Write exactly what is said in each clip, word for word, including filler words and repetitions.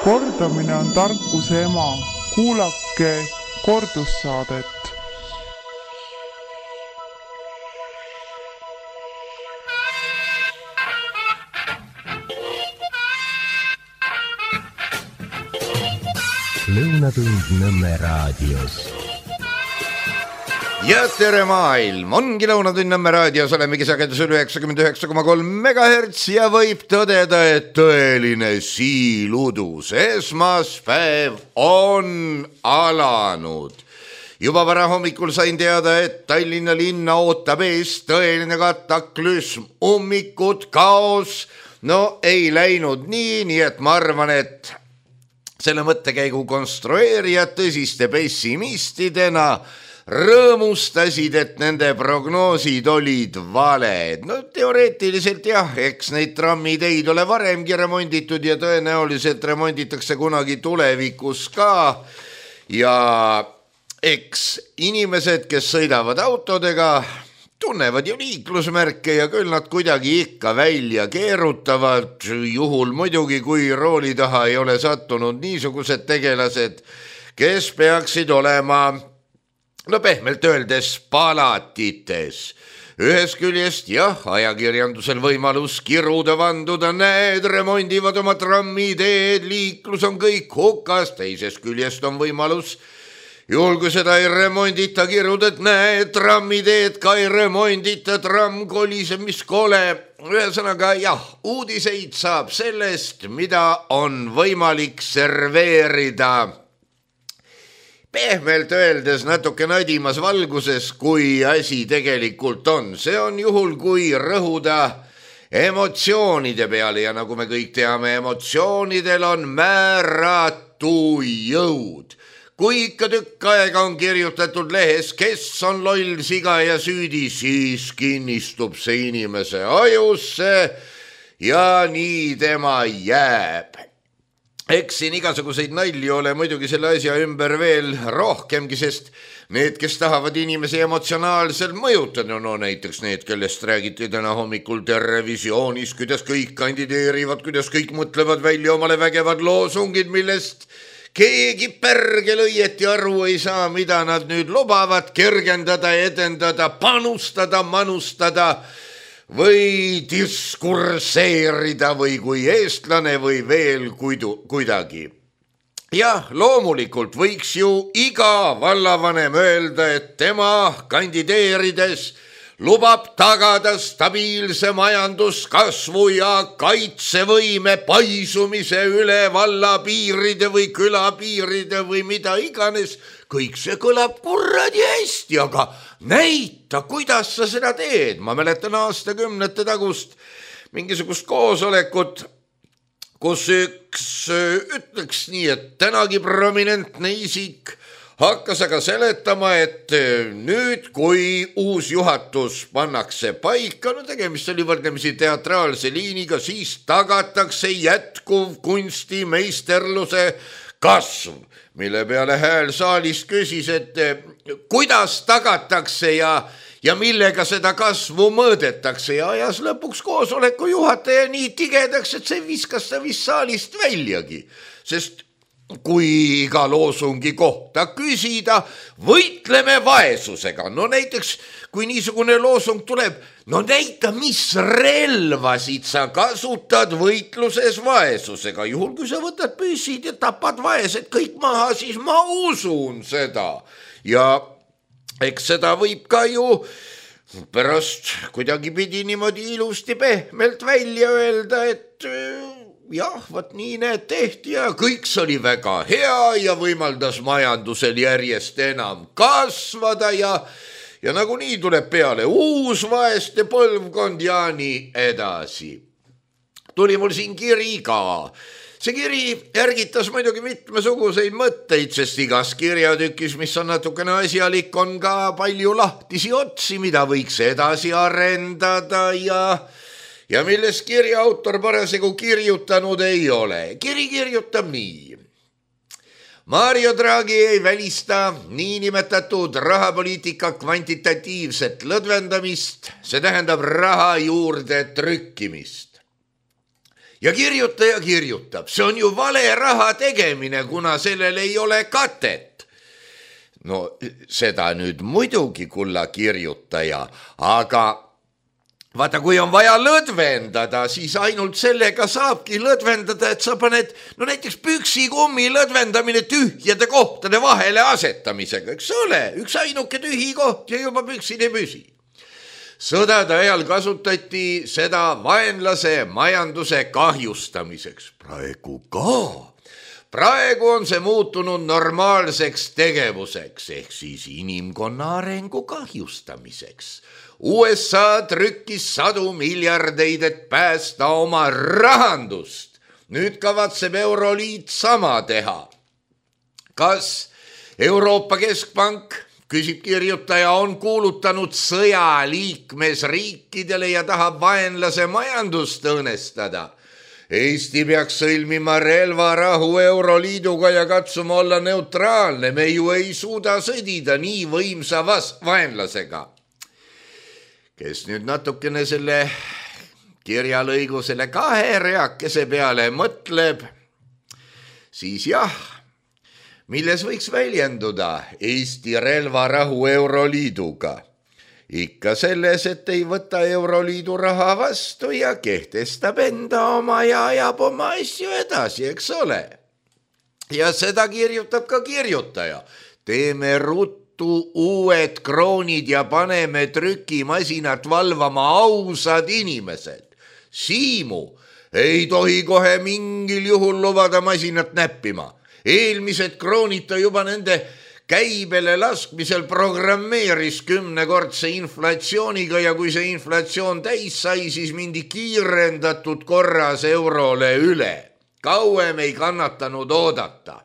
Kordamine on tarkuse ema. Kuulake kordussaadet. Lõunatund Nõmme raadios. Ja tere maailm, ongi Lõunatund Nõmme raadios, olemegi sagedusel üheksakümmend üheksa koma kolm megahertsi ja võib tõdeda, et tõeline siiludus esmaspäev on alanud. Juba vara hommikul sain teada, et Tallinna linna ootab ees tõeline kataklüsm, ummikud, kaos. No ei läinud nii, nii et ma arvan, et selle mõttekäigu konstrueerijad tõsiste pessimistidena rõõmustasid, et nende prognoosid olid valed. No teoreetiliselt jah, eks neid trammiteid ole varemgi remonditud ja tõenäoliselt remonditakse kunagi tulevikus ka. Ja eks inimesed, kes sõidavad autodega, tunnevad ju liiklusmärke ja küll nad kuidagi ikka välja keerutavad, juhul muidugi, kui rooli taha ei ole sattunud niisugused tegelased, kes peaksid olema, no pehmelt öeldes, palatites. Ühes küljest jah, ajakirjandusel võimalus kiruda vanduda, näed, remondivad oma trammiteed, liiklus on kõik hukas, teisest küljest on võimalus juhul, kui seda ei remondita, kirjutad, näed, trammiteed ka ei remondita, tramm koliseb, mis kole. Ühesõnaga, jah, uudiseid saab sellest, mida on võimalik serveerida. Pehmelt öeldes natuke nadimas valguses, kui asi tegelikult on. See on juhul, kui rõhuda emotsioonide peale ja nagu me kõik teame, emotsioonidel on määratu jõud. Kui ikka tükk aega on kirjutatud lehes, kes on loll, siga ja süüdi, siis kinnistub see inimese ajusse ja nii tema jääb. Eks siin igasuguseid nalju ole muidugi selle asja ümber veel rohkemgi, sest need, kes tahavad inimesi emotsionaalselt mõjutada, no näiteks need, kellest räägiti täna hommikul Terevisioonis, kuidas kõik kandideerivad, kuidas kõik mõtlevad välja omale vägevad loosungid, millest keegi pärgel õieti aru ei saa, mida nad nüüd lubavad kergendada, edendada, panustada, manustada või diskurseerida või kui eestlane või veel kuidu, kuidagi. Jah, loomulikult võiks ju iga vallavanem öelda, et tema kandideerides lubab tagada stabiilse majanduskasvu ja kaitsevõime paisumise üle valla piiride või küla piiride või mida iganes. Kõik see kõlab kurradi hästi, aga näita, kuidas sa seda teed. Ma mäletan aastakümnete tagust mingisugust koosolekut, kus üks ütleks nii, et tänagi prominentne isik hakkas aga seletama, et nüüd, kui uus juhatus pannakse paika, no tegemist oli võrdlemisi teatraalse liiniga, siis tagatakse jätkuv kunstimeisterluse kasv, mille peale hääl saalis küsis, et kuidas tagatakse ja, ja millega seda kasvu mõõdetakse ja ajas lõpuks koosoleku juhataja nii tigedaks, et see viskas ta vist saalist väljagi, sest kui iga loosungi kohta küsida, võitleme vaesusega. No näiteks, kui niisugune loosung tuleb, no näita, mis relvasid sa kasutad võitluses vaesusega. Juhul, kui sa võtad püssid ja tapad vaesed kõik maha, siis ma usun seda. Ja eks seda võib ka ju pärast kuidagi pidi niimoodi ilusti pehmelt välja öelda, et jah, võt nii need tehti ja kõik see oli väga hea ja võimaldas majandusel järjest enam kasvada ja, ja nagunii tuleb peale uus vaeste põlvkond ja nii edasi. Tuli mul siin kiri ka. See kiri ärgitas muidugi mitmesuguseid mõtteid, sest igas kirjatükis, mis on natukene asjalik, on ka palju lahtisi otsi, mida võiks edasi arendada ja ja millest kirja autor parasjagu kirjutanud ei ole. Kiri kirjutab nii. Mario Draghi ei välista niinimetatud rahapoliitika kvantitatiivset lõdvendamist, see tähendab raha juurde trükkimist. ja kirjutaja kirjutab, see on ju vale raha tegemine, kuna sellel ei ole katet. No seda nüüd muidugi, kulla kirjutaja, aga vaata, kui on vaja lõdvendada, siis ainult sellega saabki lõdvendada, et sa paned, no näiteks püksikummi lõdvendamine tühjade kohtade vahele asetamisega, eks ole, üks ainuke tühi koht ja juba püksid ei püsi. Sõdade ajal kasutati seda vaenlase majanduse kahjustamiseks. Praegu ka. Praegu on see muutunud normaalseks tegevuseks, ehk siis inimkonna arengu kahjustamiseks. U S A trükkis sadu miljardeid, et päästa oma rahandust. Nüüd kavatseb Euroliit sama teha. Kas Euroopa Keskpank, küsib kirjutaja, on kuulutanud sõja liikmesriikidele ja tahab vaenlase majandust õõnestada? Eesti peaks sõlmima relvarahu Euroliiduga ja katsuma olla neutraalne. Me ju ei suuda sõdida nii võimsa vaenlasega. Kes nüüd natukene selle kirjalõigu selle kahe reakese peale mõtleb, siis jah, milles võiks väljenduda Eesti relvarahu Euroliiduga? Ikka selles, et ei võta Euroliidu raha vastu ja kehtestab enda oma ja ajab oma asju edasi, eks ole. Ja seda kirjutab ka kirjutaja. Teeme ruttu uued kroonid ja paneme trükimasinat valvama ausad inimesed. Siimu ei tohi kohe mingil juhul lubada masinat näppima. Eelmised kroonid ta juba nende käibele laskmisel programmeeris kümnekordse inflatsiooniga ja kui see inflatsioon täis sai, siis mindi kiirendatud korras eurole üle. Kauem ei kannatanud oodata.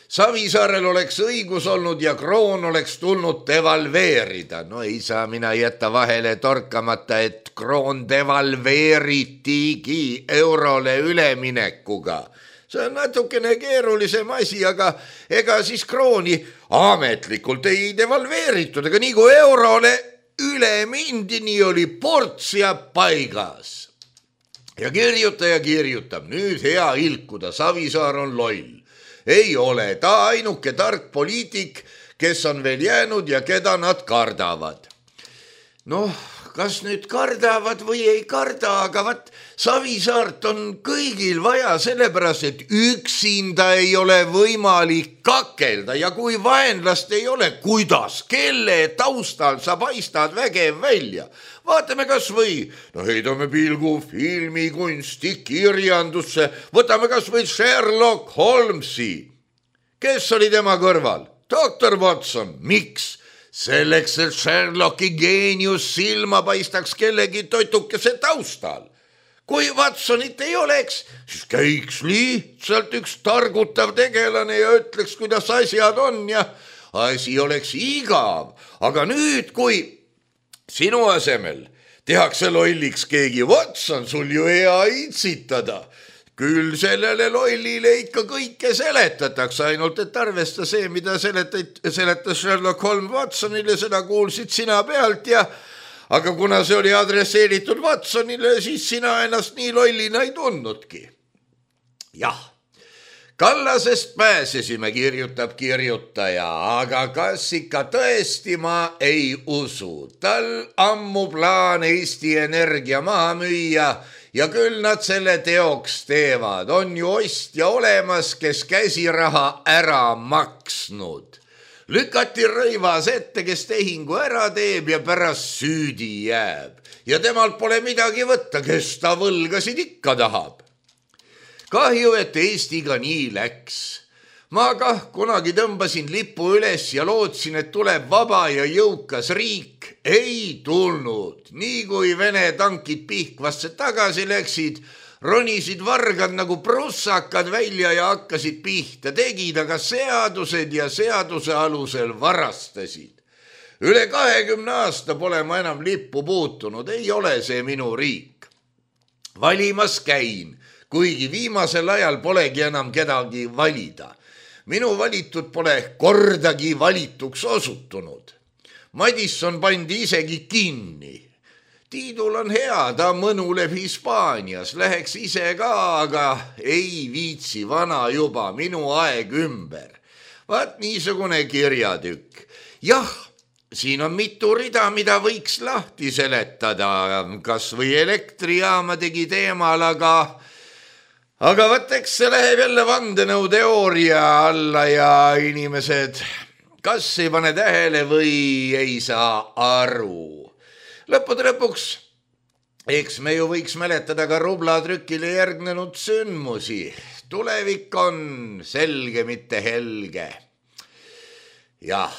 Savisaarel oleks õigus olnud ja kroon oleks tulnud devalveerida. No ei saa mina jätta vahele torkamata, et kroon devalveeritigi eurole üleminekuga. See on natukene keerulisem asi, aga ega siis krooni ametlikult ei devalveeritud, aga nii kui eurole üle mindi, nii oli portsia paigas. Ja kirjutaja kirjutab, nüüd hea ilkuda, Savisaar on loll. Ei ole, ta ainuke tark poliitik, kes on veel jäänud ja keda nad kardavad. Noh, kas nüüd kardavad või ei karda, aga vat Savisaart on kõigil vaja sellepärast, et üksinda ei ole võimalik kakelda ja kui vaenlast ei ole, kuidas, kelle taustal sa paistad vägev välja? Vaatame kas või, no heidame pilgu filmikunsti, kirjandusse, võtame kas või Sherlock Holmesi. Kes oli tema kõrval? doktor Watson, miks? Selleks, et Sherlocki geenius silma paistaks kellegi totukese taustal. Kui Watsonit ei oleks, siis käiks lihtsalt üks targutav tegelane ja ütleks, kuidas asjad on ja asi oleks igav. Aga nüüd, kui sinu asemel tehakse lolliks keegi Watson, sul ju hea itsitada. Küll sellele lollile ikka kõike seletatakse, ainult et arvesta see, mida seletas Sherlock Holmes Watsonile, seda kuulsid sina pealt ja aga kuna see oli adresseeritud Watsonile, siis sina ennast nii lollina ei tundnudki. Jah, Kallasest pääsesime, kirjutab kirjutaja, aga kas ikka tõesti ma ei usu. Tal ammu plaan Eesti Energia maha müüa ja küll nad selle teoks teevad. On ju ostja olemas, kes käsiraha ära maksnud. Lükati Rõivas ette, kes tehingu ära teeb ja pärast süüdi jääb. Ja temalt pole midagi võtta, kes ta võlgasid ikka tahab. Kahju, et Eestiga nii läks. Ma kah kunagi tõmbasin lipu üles ja lootsin, et tuleb vaba ja jõukas riik. Ei tulnud. Nii kui Vene tankid Pihkvasse tagasi läksid, ronisid vargad nagu prussakad välja ja hakkasid pihta, tegid aga seadused ja seaduse alusel varastasid. Üle kahekümne aasta pole ma enam lippu puutunud, ei ole see minu riik. Valimas käin, kuigi viimasel ajal polegi enam kedagi valida. Minu valitud pole kordagi valituks osutunud. Madisson pandi isegi kinni. Tiidul on hea, ta mõnuleb Hispaanias, läheks ise ka, aga ei viitsi, vana juba, minu aeg ümber. Vaat niisugune kirjatükk. Jah, siin on mitu rida, mida võiks lahti seletada, kas või elektrijaama tegi teemal, aga aga vaat eks see läheb jälle vandenõu teooria alla ja inimesed kas ei pane tähele või ei saa aru. Lõppude lõpuks, eks me ju võiks mäletada ka rublatrükile järgnenud sündmusi. Tulevik on selge, mitte helge. Jah,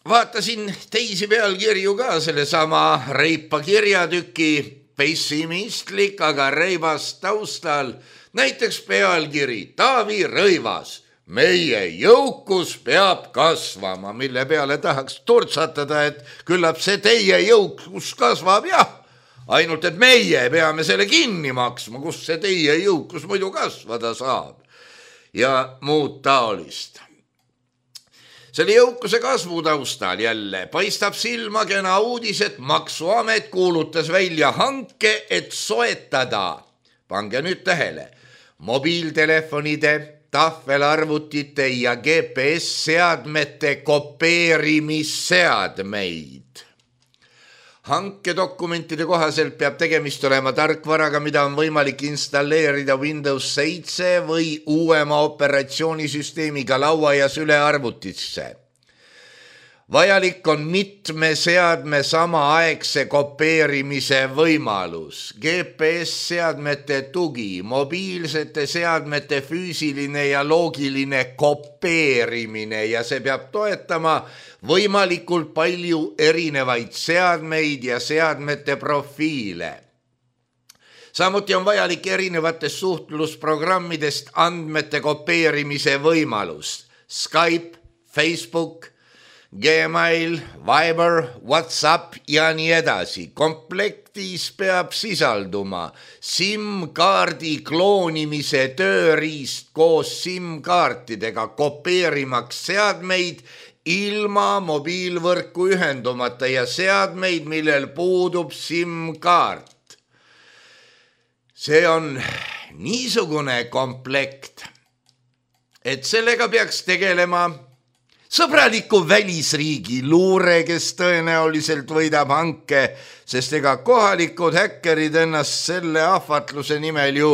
vaatasin teisi pealkirju ka sellesama reipa kirjatüki, pessimistlik, aga reibas taustal. Näiteks pealkiri Taavi Rõivas. Meie jõukus peab kasvama, mille peale tahaks turtsatada, et küllap see teie jõukus kasvab, jah. Ainult, et meie peame selle kinni maksma, kus see teie jõukus muidu kasvada saab. Ja muud taolist. Selle jõukuse kasvu taustal jälle paistab silma kena uudis, et Maksuamet kuulutas välja hanke, et soetada, pange nüüd tähele, mobiiltelefonide, tahvelarvutite ja G P S-seadmete kopeerimisseadmeid. Hankedokumentide kohaselt peab tegemist olema tarkvaraga, mida on võimalik installeerida Windows seitse või uuema operatsioonisüsteemiga laua ja sülearvutisse. Vajalik on mitme seadme samaaegse kopeerimise võimalus, G P S-seadmete tugi, mobiilsete seadmete füüsiline ja loogiline kopeerimine ja see peab toetama võimalikult palju erinevaid seadmeid ja seadmete profiile. Samuti on vajalik erinevatest suhtlusprogrammidest andmete kopeerimise võimalus, Skype, Facebook, Gmail, Viber, WhatsApp ja nii edasi. Komplektis peab sisalduma SIM-kaardi kloonimise tööriist koos SIM-kaartidega kopeerimaks seadmeid ilma mobiilvõrku ühendumata ja seadmeid, millel puudub SIM-kaart. See on niisugune komplekt, et sellega peaks tegelema sõbraliku välisriigi luure, kes tõenäoliselt võidab hanke, sest ega kohalikud häkkerid ennast selle ahvatluse nimel ju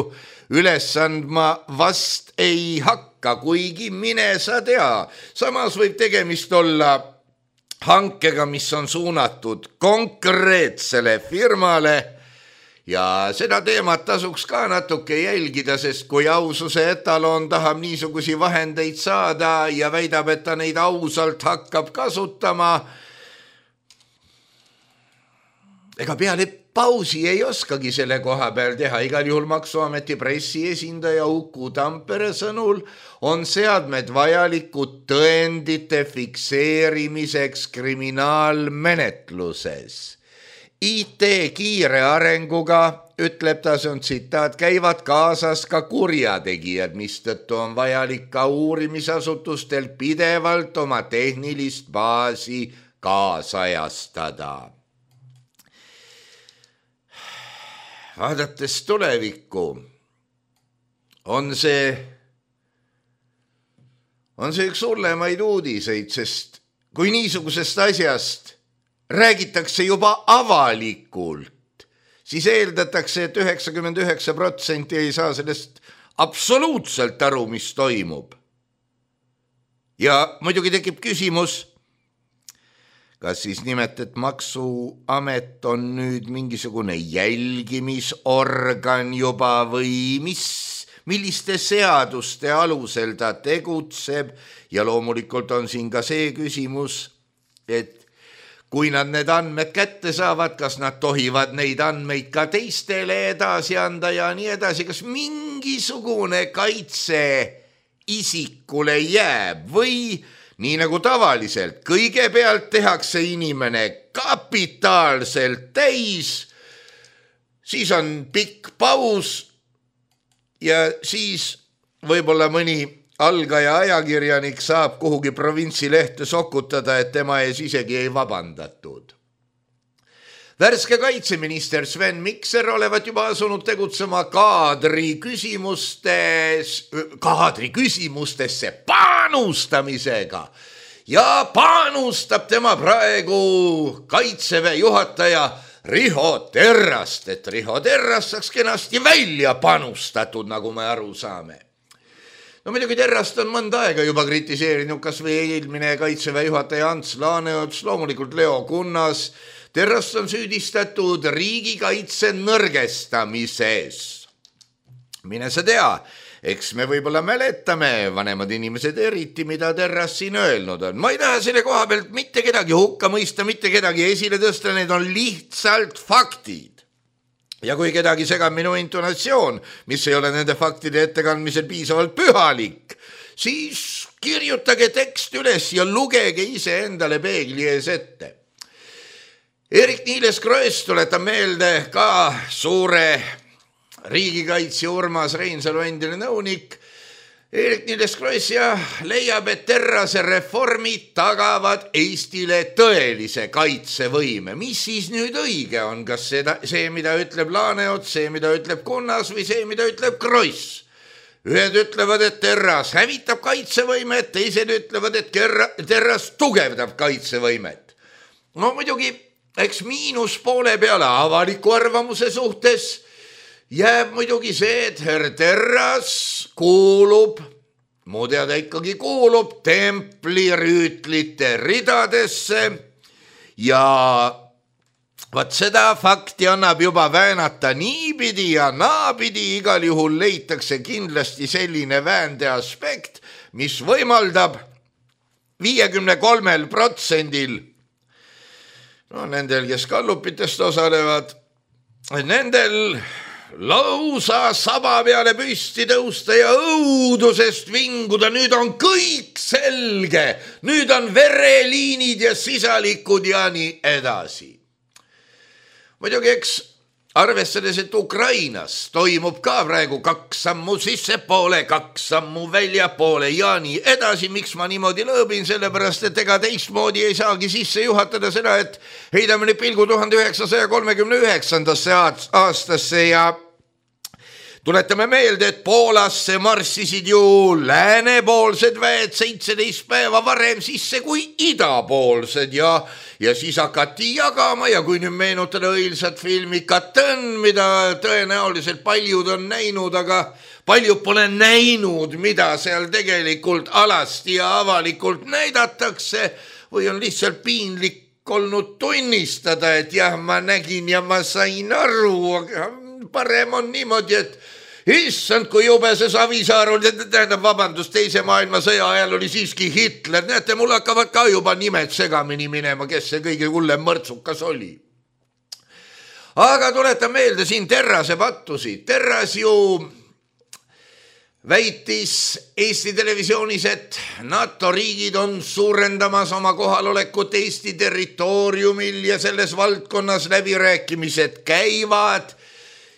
üles andma vast ei hakka, kuigi mine sa tea. Samas võib tegemist olla hankega, mis on suunatud konkreetsele firmale ja seda teemat tasuks ka natuke jälgida, sest kui aususe etaloon tahab niisugusi vahendeid saada ja väidab, et ta neid ausalt hakkab kasutama, ega peale pausi ei oskagi selle koha peal teha. Igal juhul Maksuameti pressiesindaja Uku Tampere sõnul on seadmed vajalikud tõendite fikseerimiseks kriminaalmenetluses. I T kiire arenguga, ütleb ta, see on tsitaat, käivad kaasas ka kurjategijad, mistõttu on vajalik ka uurimisasutustel pidevalt oma tehnilist baasi kaasajastada. Vaadates tulevikku on see, on see üks hullemaid uudiseid, sest kui niisugusest asjast räägitakse juba avalikult, siis eeldatakse, et üheksakümmend üheksa protsenti ei saa sellest absoluutselt aru, mis toimub. Ja muidugi tekib küsimus, kas siis nimet, et Maksuamet on nüüd mingisugune jälgimisorgan juba või mis, milliste seaduste alusel ta tegutseb ja loomulikult on siin ka see küsimus, et kui nad need andmed kätte saavad, kas nad tohivad neid andmeid ka teistele edasi anda ja nii edasi, kas mingisugune kaitse isikule jääb või nii nagu tavaliselt, kõigepealt tehakse inimene kapitaalselt täis, siis on pikk paus ja siis võib-olla mõni algaja ajakirjanik saab kuhugi provintsilehte sokutada, et tema ees isegi ei vabandatud. Värske kaitseminister Sven Mikser olevat juba asunud tegutsema kaadri küsimustes, kaadri küsimustesse panustamisega ja panustab tema praegu kaitseväe juhataja Riho Terrast, et Riho Terrast saaks kenasti välja panustatud, nagu me aru saame. No muidugi Terrast on mõnda aega juba kritiseerinud, kas või eelmine kaitseväe juhataja Ants Laaneots, loomulikult Leo Kunnas. Terrast on süüdistatud riigikaitse nõrgestamises. Mine sa tea, eks me võib-olla mäletame, vanemad inimesed eriti, mida Terrast siin öelnud on. Ma ei taha selle koha pealt mitte kedagi hukka mõista, mitte kedagi esile tõsta, need on lihtsalt faktid. Ja kui kedagi segab minu intonatsioon, mis ei ole nende faktide ettekandmisel piisavalt pühalik, siis kirjutage tekst üles ja lugege ise endale peegli ees ette. Eerik-Niiles Kross tuletab meelde ka suure riigikaitse Urmas Reinsalu endine nõunik. Eerik-Niiles Kross ja leiab, et Terrase reformid tagavad Eestile tõelise kaitsevõime. Mis siis nüüd õige on? Kas seda, see, mida ütleb Laaneots, see, mida ütleb Kunnas või see, mida ütleb Kross? Ühed ütlevad, et Terras hävitab kaitsevõimet, teised ütlevad, et Terras tugevdab kaitsevõimet. No muidugi, eks miinus poole peale avaliku arvamuse suhtes jääb muidugi see, et herr Terras kuulub, mu teada ikkagi kuulub templirüütlite ridadesse ja vaat seda fakti annab juba väänata niipidi ja naapidi, igal juhul leitakse kindlasti selline väände aspekt, mis võimaldab viiekümne kolmel protsendil no nendel, kes kallupitest osalevad, nendel lausa saba peale püsti tõusta ja õudusest vinguda, nüüd on kõik selge, nüüd on vereliinid ja sisalikud ja nii edasi. Muidugi, eks arvestades, et Ukrainas toimub ka praegu kaks sammu sissepoole, kaks sammu väljapoole ja nii edasi, miks ma niimoodi lõõbin, sellepärast, et ega teistmoodi ei saagi sisse juhatada seda, et heidame nüüd pilgu tuhande üheksasaja kolmekümne üheksandasse aastasse ja tuletame meelde, et Poolasse marssisid ju läänepoolsed väed seitseteist päeva varem sisse kui idapoolsed ja, ja siis hakati jagama ja kui nüüd meenutada õilsat filmi Katõn, mida tõenäoliselt paljud on näinud, aga paljud pole näinud, mida seal tegelikult alasti ja avalikult näidatakse või on lihtsalt piinlik olnud tunnistada, et jah, ma nägin ja ma sain aru, aga parem on niimoodi, et issand, kui jube see Savisaar oli, tähendab vabandust, teise maailmasõja ajal oli siiski Hitler, näete, mul hakkavad ka juba nimed segamini minema, kes see kõige hullem mõrtsukas oli. Aga tuletan meelde siin Terrase pattusi. Terras ju väitis Eesti televisioonis, et NATO riigid on suurendamas oma kohalolekut Eesti territooriumil ja selles valdkonnas läbirääkimised käivad.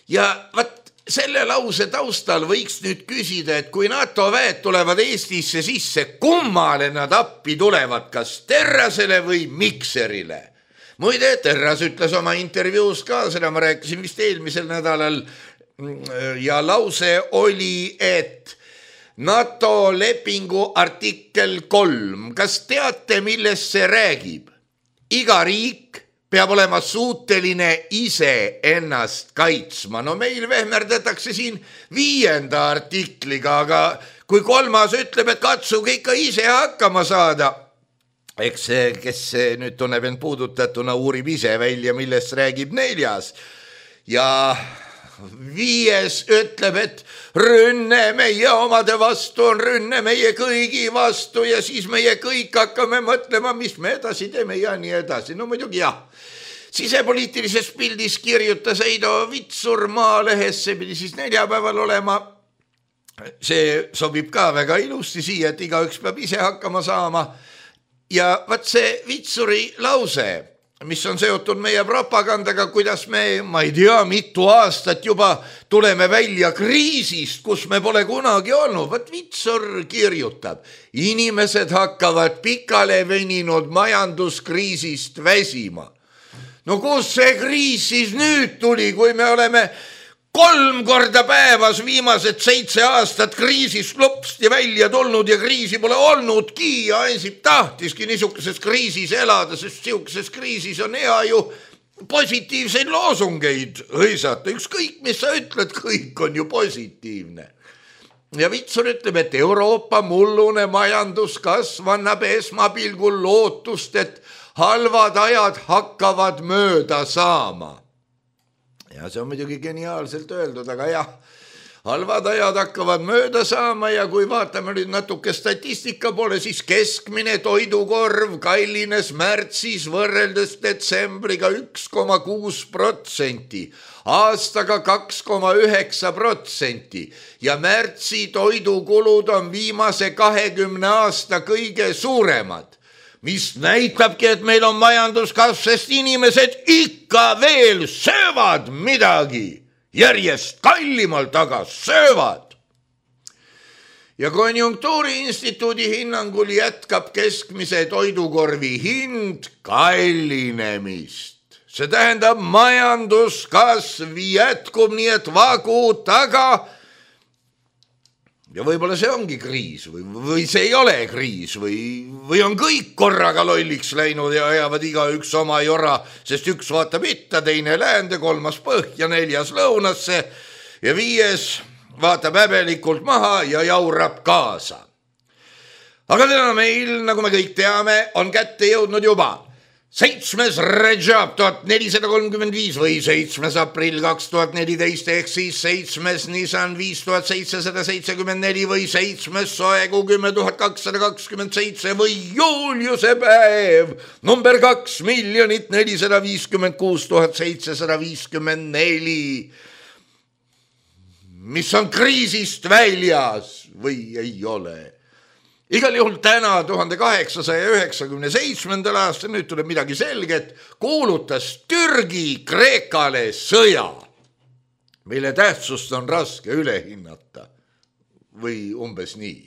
Ja vaat selle lause taustal võiks nüüd küsida, et kui NATO väed tulevad Eestisse sisse, kummale nad appi tulevad, kas Terrasele või Mikserile? Muide, Terras ütles oma intervjuus ka, seda ma rääkisin vist eelmisel nädalal ja lause oli, et NATO lepingu artikkel kolm, kas teate, millest see räägib? Iga riik peab olema suuteline ise ennast kaitsma. No meil vehmerdatakse siin viienda artikliga, aga kui kolmas ütleb, et katsuge ikka ise hakkama saada, eks see, kes nüüd tunneb end puudutatuna, uurib ise välja, millest räägib neljas. Ja viies ütleb, et rünne meie omade vastu on rünne meie kõigi vastu ja siis meie kõik hakkame mõtlema, mis me edasi teeme ja nii edasi. No muidugi jah, sisepoliitilises pildis kirjutas Heido Vitsur Maalehes, see pidi siis neljapäeval olema. See sobib ka väga ilusti siia, et igaüks peab ise hakkama saama. Ja vaat see Vitsuri lause, mis on seotud meie propagandaga, kuidas me, ma ei tea, mitu aastat juba tuleme välja kriisist, kus me pole kunagi olnud. Vaat Vitsur kirjutab, inimesed hakkavad pikale veninud majanduskriisist väsima. no kus see kriis siis nüüd tuli, kui me oleme kolm korda päevas viimased seitse aastat kriisist lopsti välja tulnud ja kriisi pole olnudki ja Ansip tahtiski niisukeses kriisis elada, sest niisukeses kriisis on hea ju positiivseid loosungeid hõisata. Ükskõik, mis sa ütled, kõik on ju positiivne. Ja Vitsur ütleb, et Euroopa mullune majanduskasv annab esmapilgul lootust, et halvad ajad hakkavad mööda saama. Ja see on muidugi geniaalselt öeldud, aga jah, halvad ajad hakkavad mööda saama ja kui vaatame nüüd natuke statistika poole, siis keskmine toidukorv kallines märtsis võrreldes detsembriga üks koma kuus protsenti, aastaga kaks koma üheksa protsenti ja märtsi toidukulud on viimase kahekümne aasta kõige suuremad. Mis näitabki, et meil on majanduskasv, sest inimesed ikka veel söövad midagi, järjest kallimalt aga söövad. Ja Konjunktuuriinstituudi hinnangul jätkab keskmise toidukorvi hind kallinemist. See tähendab, majanduskasv jätkub nii, et vagu taga. Ja võib-olla see ongi kriis või, või see ei ole kriis või, või on kõik korraga lolliks läinud ja ajavad iga üks oma jora, sest üks vaatab itta, teine läände, kolmas põhja, neljas lõunasse ja viies vaatab häbelikult maha ja jaurab kaasa. Aga täna meil, nagu me kõik teame, on kätte jõudnud juba seitsmes Rajab tuhat nelisada kolmkümmend viis või seitsmes aprill kaks tuhat neliteist ehk siis seitsmes Nisan viis tuhat seitsesada seitsekümmend neli või seitsmes Soegu kümme tuhat kakssada kakskümmend seitse või Juliuse päev number kaks miljonit nelisada viiskümmend kuus tuhat seitsesada viiskümmend neli, mis on kriisist väljas või ei ole. Igal juhul täna tuhande kaheksasaja üheksakümne seitsmendal aastal, nüüd tuleb midagi selget, kuulutas Türgi Kreekale sõja, mille tähtsust on raske üle hinnata või umbes nii.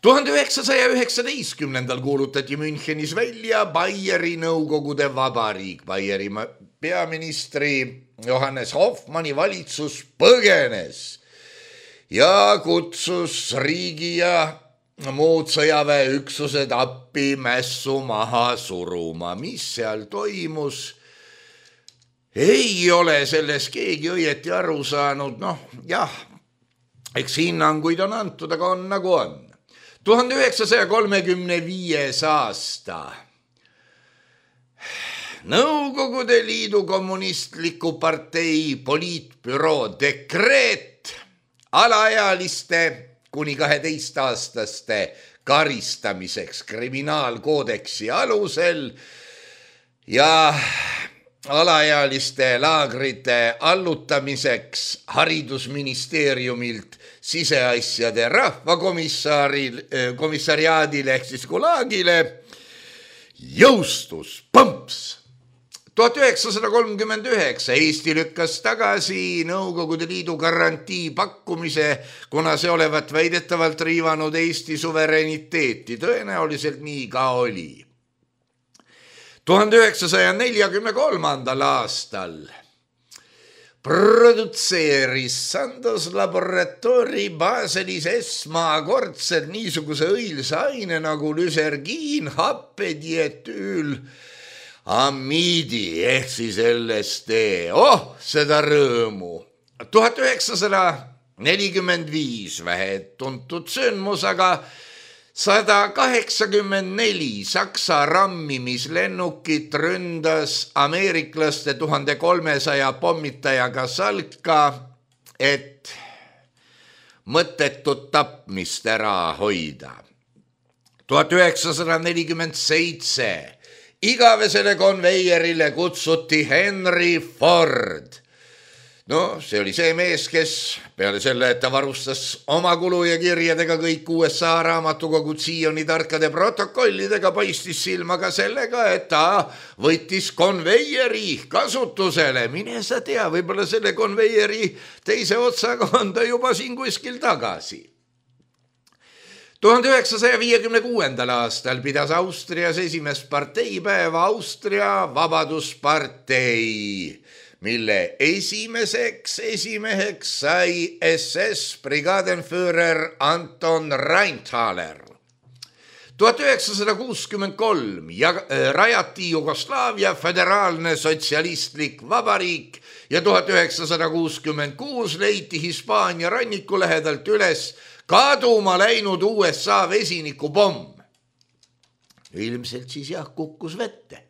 tuhande üheksasaja üheksateistkümnendal kuulutati Münchenis välja Baieri Nõukogude Vabariik. Baieri peaministri Johannes Hoffmanni valitsus põgenes ja kutsus riigi ja muud sõjaväeüksused appi mässu maha suruma. Mis seal toimus? Ei ole selles keegi õieti aru saanud. Noh, jah, eks hinnanguid on antud, aga on nagu on. tuhande üheksasaja kolmekümne viies aasta. Nõukogude Liidu kommunistliku partei poliitbüroo dekreet alaealiste kuni kaheteistaastaste karistamiseks kriminaalkoodeksi alusel ja alaealiste laagrite allutamiseks haridusministeeriumilt siseasjade rahvakomissariaadile ehk siis Gulagile jõustus põmps. tuhat üheksasada kolmkümmend üheksa Eesti lükkas tagasi Nõukogude Liidu garantii pakkumise, kuna see olevat väidetavalt riivanud Eesti suvereniteeti. Tõenäoliselt nii ka oli. tuhande üheksasaja neljakümne kolmandal aastal produtseeris Sandoz Laboratoori Baselis esmakordselt niisuguse õilsa aine nagu lüsergiin, happedietüül, amiidi ehk siis L S D. Oh, seda rõõmu. tuhat üheksasada nelikümmend viis vähe tuntud sündmus, aga sada kaheksakümmend neli Saksa rammimislennukit ründas ameeriklaste tuhande kolmesaja pommitajaga salka, et mõttetut tapmist ära hoida. tuhat üheksasada nelikümmend seitse igavesele konveierile kutsuti Henry Ford. No, see oli see mees, kes peale selle, et ta varustas oma kulu ja kirjadega kõik U S A raamatukogu Zioni tarkade protokollidega, paistis silma ka sellega, et ta võttis konveieri kasutusele. Mine sa tea, võib-olla selle konveieri teise otsaga on ta juba siin kuskil tagasi. tuhande üheksasaja viiekümne kuuendal aastal pidas Austrias esimest parteipäeva Austria Vabaduspartei, mille esimeseks esimeheks sai S S brigadenführer Anton Rheintaler. tuhat üheksasada kuuskümmend kolm rajati Jugoslaavia föderaalne sotsialistlik vabariik ja tuhat üheksasada kuuskümmend kuus leiti Hispaania ranniku lähedalt üles kaduma läinud U S A vesinikupomm. Ilmselt siis jah kukkus vette.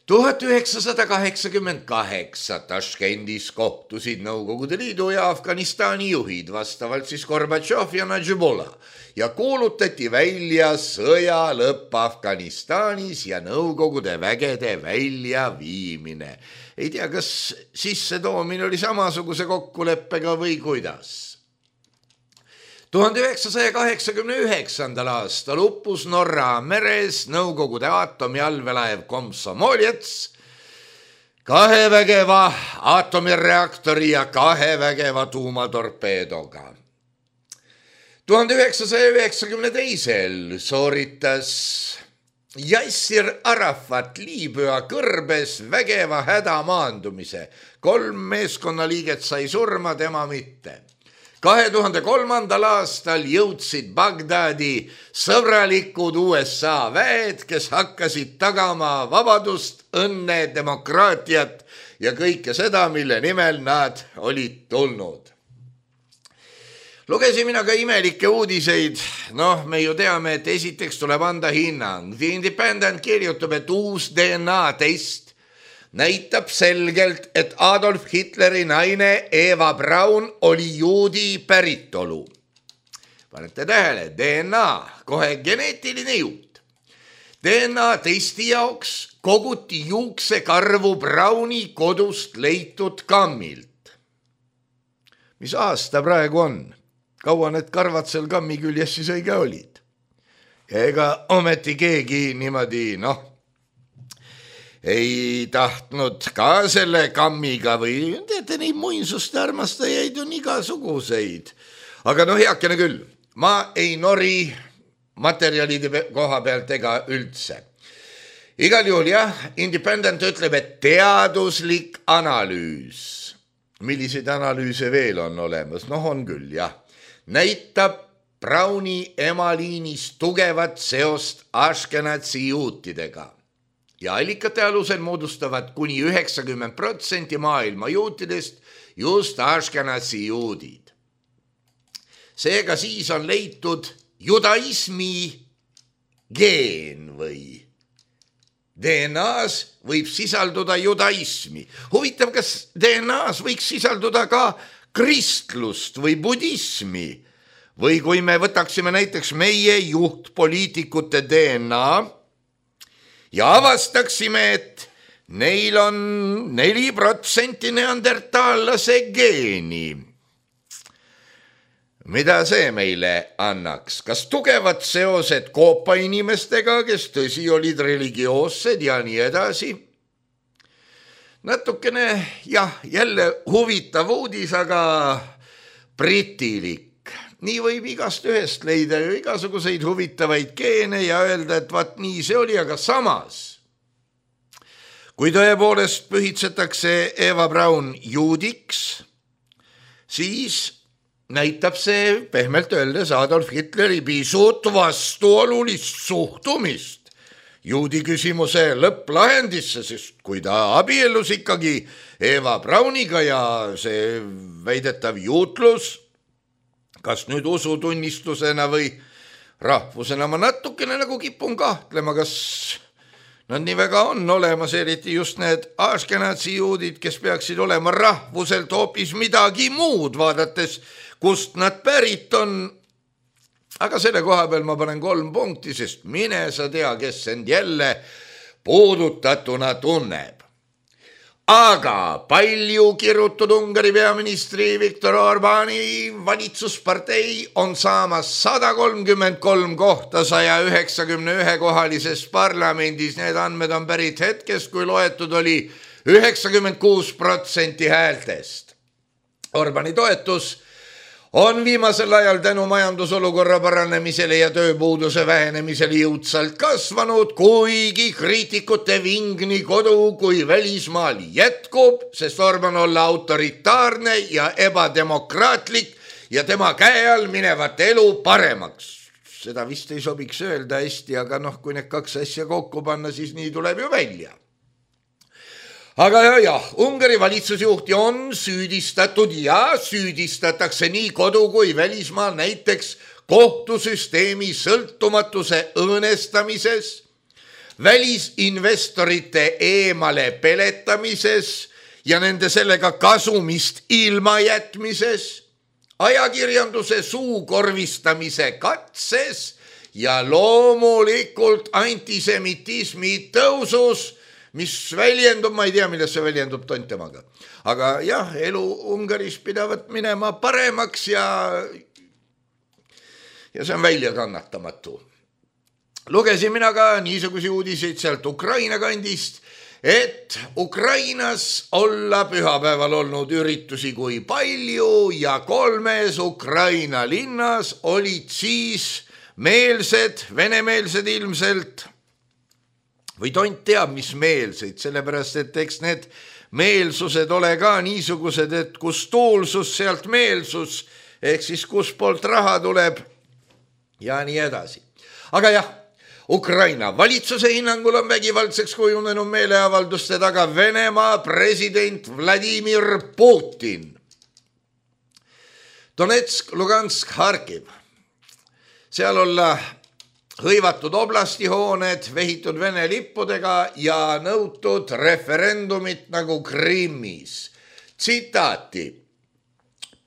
tuhat üheksasada kaheksakümmend kaheksa Taškendis kohtusid Nõukogude Liidu ja Afganistani juhid, vastavalt siis Gorbatšov ja Nadžibullah, ja kuulutati välja sõja lõpp Afganistanis ja Nõukogude vägede väljaviimine. Ei tea, kas sissetoomine oli samasuguse kokkuleppega või kuidas. tuhande üheksasaja kaheksakümne üheksandal aastal uppus Norra meres Nõukogude aatomiallvelaev Komsomolets kahe vägeva aatomireaktori ja kahe vägeva tuumatorpeedoga. tuhande üheksasaja üheksakümne teisel sooritas Yassir Arafat Liibüa kõrbes vägeva hädamaandumise. Kolm meeskonnaliiget sai surma, tema mitte. kahe tuhande kolmandal aastal jõudsid Bagdadi sõbralikud U S A väed, kes hakkasid tagama vabadust, õnne, demokraatiat ja kõike seda, mille nimel nad olid tulnud. Lugesin mina ka imelikke uudiseid. Noh, me ju teame, et esiteks tuleb anda hinnang. The Independent kirjutab, et uus D N A test näitab selgelt, et Adolf Hitleri naine Eva Braun oli juudi päritolu. Panete tähele, D N A, kohe geneetiline juut. D N A testi jaoks koguti juuksekarvu Brauni kodust leitud kammilt. Mis aasta praegu on? Kaua need karvad seal kammi küljes siis õige olid? Ega ometi keegi niimoodi, noh, ei tahtnud ka selle kammiga või teete neid muinsuste armastajaid on igasuguseid. Aga noh, heakene küll, ma ei nori materjalide koha pealt ega üldse. Igal juhul jah, Independent ütleb, et teaduslik analüüs, milliseid analüüse veel on olemas, noh on küll jah, näitab Brauni emaliinis tugevat seost Ashkenazi juutidega. Ja allikate alusel moodustavad kuni üheksakümmend protsenti maailma juutidest just Ashkenazi juudid. Seega siis on leitud judaismi geen või D N A-s võib sisalduda judaismi. Huvitav, kas D N A-s võiks sisalduda ka kristlust või budismi või kui me võtaksime näiteks meie juhtpoliitikute D N A ja avastaksime, et neil on neli protsenti neandertaallase geeni. Mida see meile annaks? Kas tugevad seosed koopa inimestega, kes tõsi olid religioossed ja nii edasi? Natukene, jah, jälle huvitav uudis, aga britilik. Nii võib igast ühest leida ju igasuguseid huvitavaid geene ja öelda, et vaat nii see oli, aga samas. Kui tõepoolest pühitsetakse Eva Braun juudiks, siis näitab see pehmelt öeldes Adolf Hitleri pisut vastuolulist suhtumist juudi küsimuse lõpplahendisse, sest kui ta abiellus ikkagi Eva Brauniga ja see väidetav juutlus, kas nüüd usutunnistusena või rahvusena, ma natukene nagu kipun kahtlema, kas nad nii väga on olemas, eriti just need Ashkenazi juudid, kes peaksid olema rahvuselt hoopis midagi muud, vaadates, kust nad pärit on. Aga selle koha peal ma panen kolm punkti, sest mine sa tea, kes end jälle puudutatuna tunneb. Aga palju kirutud Ungari peaministri Viktor Orbani valitsuspartei on saamas sada kolmkümmend kolm kohta saja üheksakümne ühe kohalises parlamendis. Need andmed on pärit hetkest, kui loetud oli üheksakümmend kuus protsenti häältest. Orbani toetus on viimasel ajal tänu majandusolukorra paranemisele ja tööpuuduse vähenemisele jõudsalt kasvanud, kuigi kriitikute ving nii kodu kui välismaal jätkub, sest vorm on olla autoritaarne ja ebademokraatlik ja tema käe all minevat elu paremaks. Seda vist ei sobiks öelda hästi, aga noh, kui need kaks asja kokku panna, siis nii tuleb ju välja. Aga jah, jah, Ungari valitsusjuhti on süüdistatud ja süüdistatakse nii kodu kui välismaal näiteks kohtusüsteemi sõltumatuse õõnestamises, välisinvestorite eemale peletamises ja nende sellega kasumist ilma jätmises, ajakirjanduse suukorvistamise katses ja loomulikult antisemitismi tõusus, mis väljendub, ma ei tea, milles see väljendub tontemaga. Aga jah, elu Ungaris pidavat minema paremaks ja, ja see on välja kannatamatu. Lugesin mina ka niisugusi uudiseid sealt Ukraina kandist, et Ukrainas olla pühapäeval olnud üritusi kui palju ja kolmes Ukraina linnas olid siis meelsed, venemeelsed ilmselt, või tont teab, mis meelseid, sellepärast, et eks need meelsused ole ka niisugused, et kus tuulsus, sealt meelsus, ehk siis kus poolt raha tuleb ja nii edasi. Aga jah, Ukraina valitsuse hinnangul on vägivaldseks kujunenud meeleavalduste taga Venemaa president Vladimir Putin. Donetsk, Lugansk, Harkiv. Seal olla hõivatud oblastihooned, vehitud Vene lippudega ja nõutud referendumit nagu Krimmis. Tsitaati.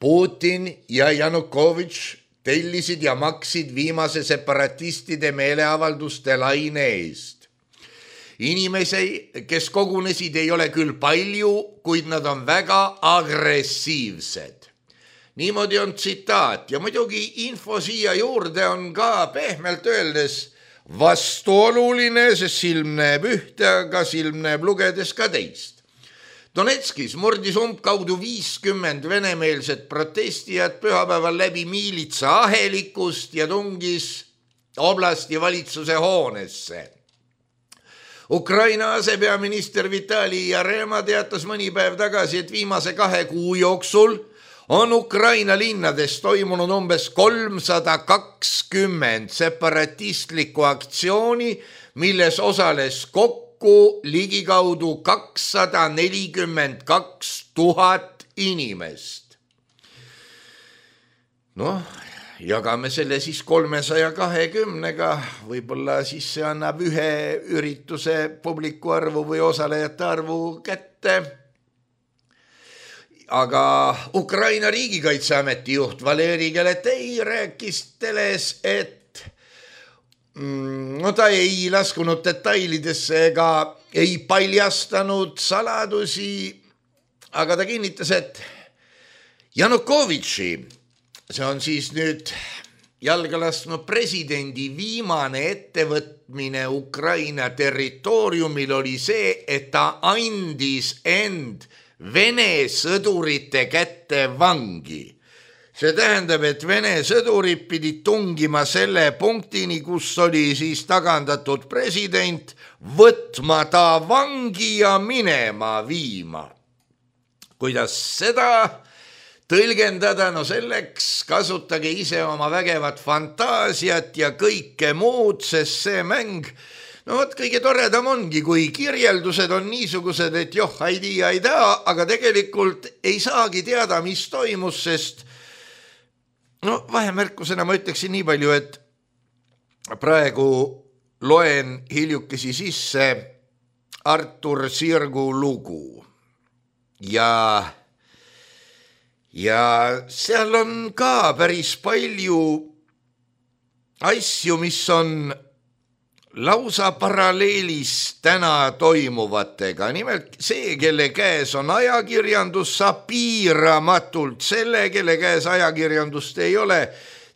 Putin ja Janukovitš tellisid ja maksid viimase separatistide meeleavalduste laine eest. Inimesi, kes kogunesid, ei ole küll palju, kuid nad on väga agressiivsed. Niimoodi on tsitaat ja muidugi info siia juurde on ka pehmelt öeldes vastuoluline, sest silm näeb ühte, aga silm näeb lugedes ka teist. Donetskis murdis umbkaudu viiskümmend venemeelset protestijat pühapäeval läbi miilitsa ahelikust ja tungis oblasti valitsuse hoonesse. Ukraina asepeaminister Vitali Jarema teatas mõni päev tagasi, et viimase kahe kuu jooksul on Ukraina linnades toimunud umbes kolmsada kakskümmend separatistlikku aktsiooni, milles osales kokku ligikaudu kakssada nelikümmend kaks tuhat inimest. Noh, jagame selle siis kolmesaja kahekümnega, võib-olla siis see annab ühe ürituse publiku arvu või osalejate arvu kätte. Aga Ukraina riigikaitseameti juht Valeri Galetei rääkis teles, et no ta ei laskunud detailidesse ega ei paljastanud saladusi, aga ta kinnitas, et Janukovitši, see on siis nüüd jalga lasknud presidendi viimane ettevõtmine Ukraina territooriumil oli see, et ta andis end Vene sõdurite kätte vangi. See tähendab, et Vene sõdurid pidid tungima selle punktini, kus oli siis tagandatud president, võtma ta vangi ja minema viima. Kuidas seda tõlgendada? No selleks kasutage ise oma vägevat fantaasiat ja kõike muud, sest see mäng, no võt, kõige toredam ongi, kui kirjeldused on niisugused, et joh, ei tea, ei tea, aga tegelikult ei saagi teada, mis toimus, sest no vahemärkusena ma ütleksin nii palju, et praegu loen hiljukesi sisse Artur Sirgu lugu ja, ja seal on ka päris palju asju, mis on lausa paralleelis täna toimuvatega. Nimelt see, kelle käes on ajakirjandus, saab piiramatult selle, kelle käes ajakirjandust ei ole,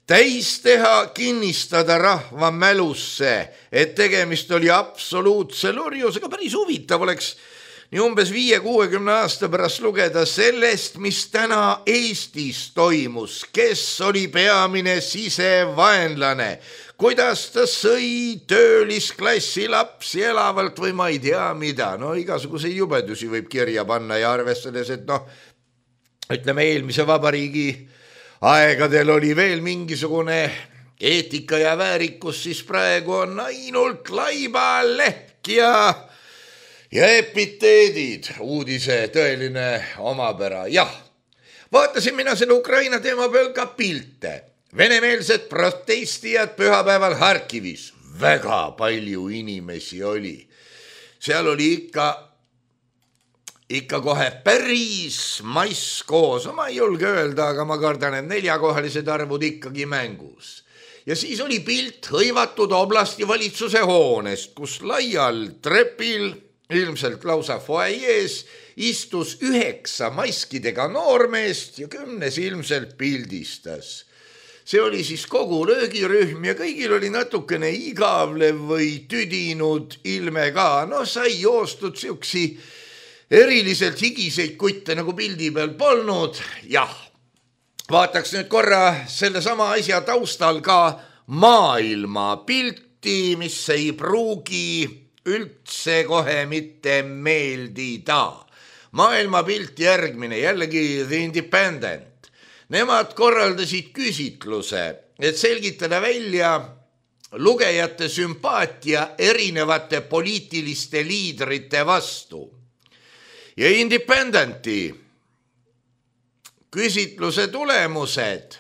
täis teha, kinnistada rahva mälusse, et tegemist oli absoluutse lurjusega. Päris huvitav oleks nii umbes viie kuuekümne aasta pärast lugeda sellest, mis täna Eestis toimus, kes oli peamine sisevaenlane, kuidas ta sõi töölisklassi lapsi elavalt või ma ei tea mida. No igasuguseid jubedusi võib kirja panna ja arvestades, et noh, ütleme eelmise vabariigi aegadel oli veel mingisugune eetika ja väärikus, siis praegu on ainult laiba, lehk ja, ja epiteedid, uudise tõeline omapära. Jah, vaatasin mina selle Ukraina teema peal ka pilte. Venemeelsed protestijad pühapäeval Harkivis. Väga palju inimesi oli. Seal oli ikka, ikka kohe päris mass koos. Ma ei julge öelda, aga ma kardan, et neljakohalised arvud ikkagi mängus. Ja siis oli pilt hõivatud oblasti valitsuse hoonest, kus laial trepil, ilmselt lausa foajees, istus üheksa maskidega noormeest ja kümnes ilmselt pildistas. See oli siis kogu löögirühm ja kõigil oli natukene igavlev või tüdinud ilme ka. No sai joostud siuksi eriliselt higiseid kutte nagu pildi peal polnud. Jah, vaataks nüüd korra selle sama asja taustal ka maailma pilti, mis ei pruugi üldse kohe mitte meeldida. Maailma pilt järgmine, jällegi The Independent. Nemad korraldasid küsitluse, et selgitada välja lugejate sümpaatia erinevate poliitiliste liidrite vastu. Ja Independenti küsitluse tulemused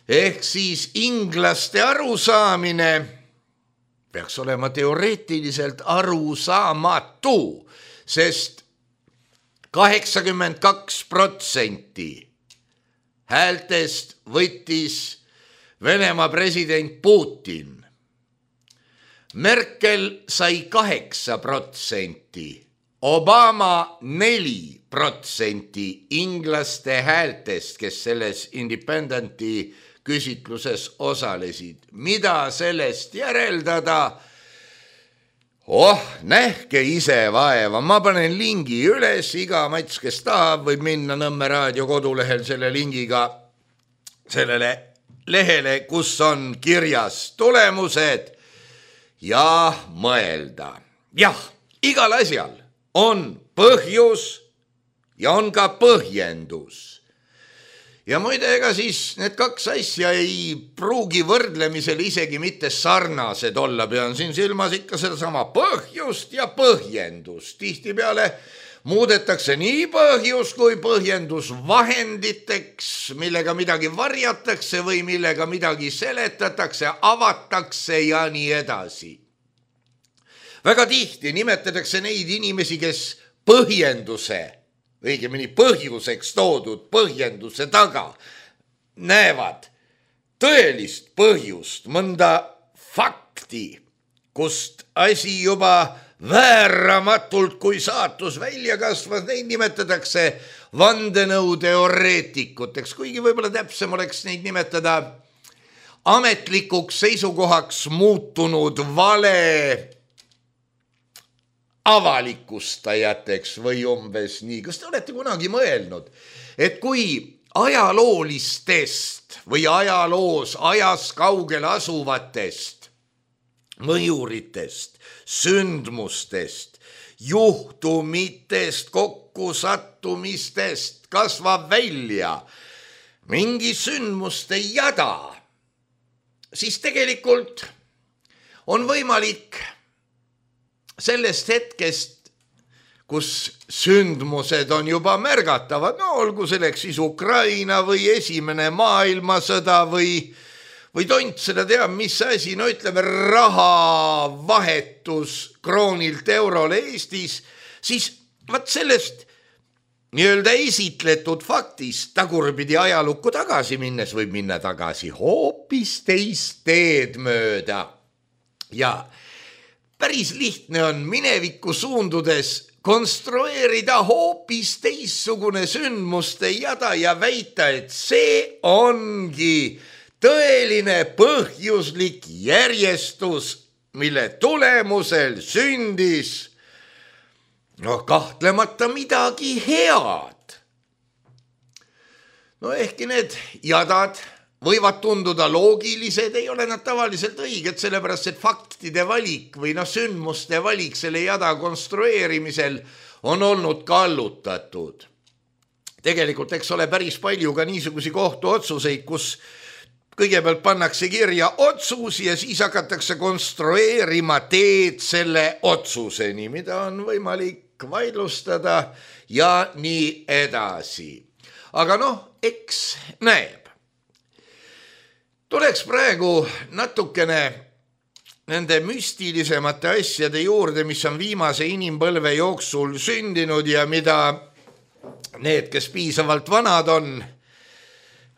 ehk siis inglaste arusaamine peaks olema teoreetiliselt arusaamatu, sest kaheksakümmend kaks protsenti häältest võttis Venemaa president Putin. Merkel sai kaheksa protsenti, Obama neli protsenti inglaste häältest, kes selles Independenti küsitluses osalesid. Mida sellest järeldada? Oh, nähke ise vaeva, ma panen lingi üles, iga mats, kes tahab, võib minna Nõmme raadio kodulehel selle lingiga sellele lehele, kus on kirjas tulemused ja mõelda. Jah, igal asjal on põhjus ja on ka põhjendus. Ja muide, ega siis need kaks asja ei pruugi võrdlemisel isegi mitte sarnased olla. Pean siin silmas ikka sedasama põhjust ja põhjendust. Tihtipeale muudetakse nii põhjus kui põhjendus vahenditeks, millega midagi varjatakse või millega midagi seletatakse, avatakse ja nii edasi. Väga tihti nimetatakse neid inimesi, kes põhjenduse õigemini põhjuseks toodud põhjenduse taga näevad tõelist põhjust, mõnda fakti, kust asi juba vääramatult kui saatus välja kasvas, neid nimetatakse vandenõuteoreetikuteks, kuigi võib-olla täpsem oleks neid nimetada ametlikuks seisukohaks muutunud vale avalikustajateks või umbes nii. Kas te olete kunagi mõelnud, et kui ajaloolistest või ajaloos ajas kaugel asuvatest mõjuritest, sündmustest, juhtumitest, kokkusattumistest kasvab välja mingi sündmuste jada, siis tegelikult on võimalik sellest hetkest, kus sündmused on juba märgatavad, no olgu selleks siis Ukraina või esimene maailmasõda või, või tont seda teab, mis asi, no ütleme rahavahetus kroonilt eurole Eestis, siis vaat sellest nii-öelda esitletud faktist tagurpidi ajalukku tagasi minnes võib minna tagasi hoopis teist teed mööda. Ja päris lihtne on minevikku suundudes konstrueerida hoopis teissugune sündmuste jada ja väita, et see ongi tõeline põhjuslik järjestus, mille tulemusel sündis noh, kahtlemata midagi head. No ehkki need jadad võivad tunduda loogilised, ei ole nad tavaliselt õiged, sellepärast et faktide valik või noh, sündmuste valik selle jada konstrueerimisel on olnud kallutatud. Tegelikult eks ole päris palju ka niisugusi kohtuotsuseid, kus kõigepealt pannakse kirja otsus ja siis hakatakse konstrueerima teed selle otsuseni, mida on võimalik vaidlustada ja nii edasi. Aga noh, eks näeb. Tuleks praegu natukene nende müstilisemate asjade juurde, mis on viimase inimpõlve jooksul sündinud ja mida need, kes piisavalt vanad on,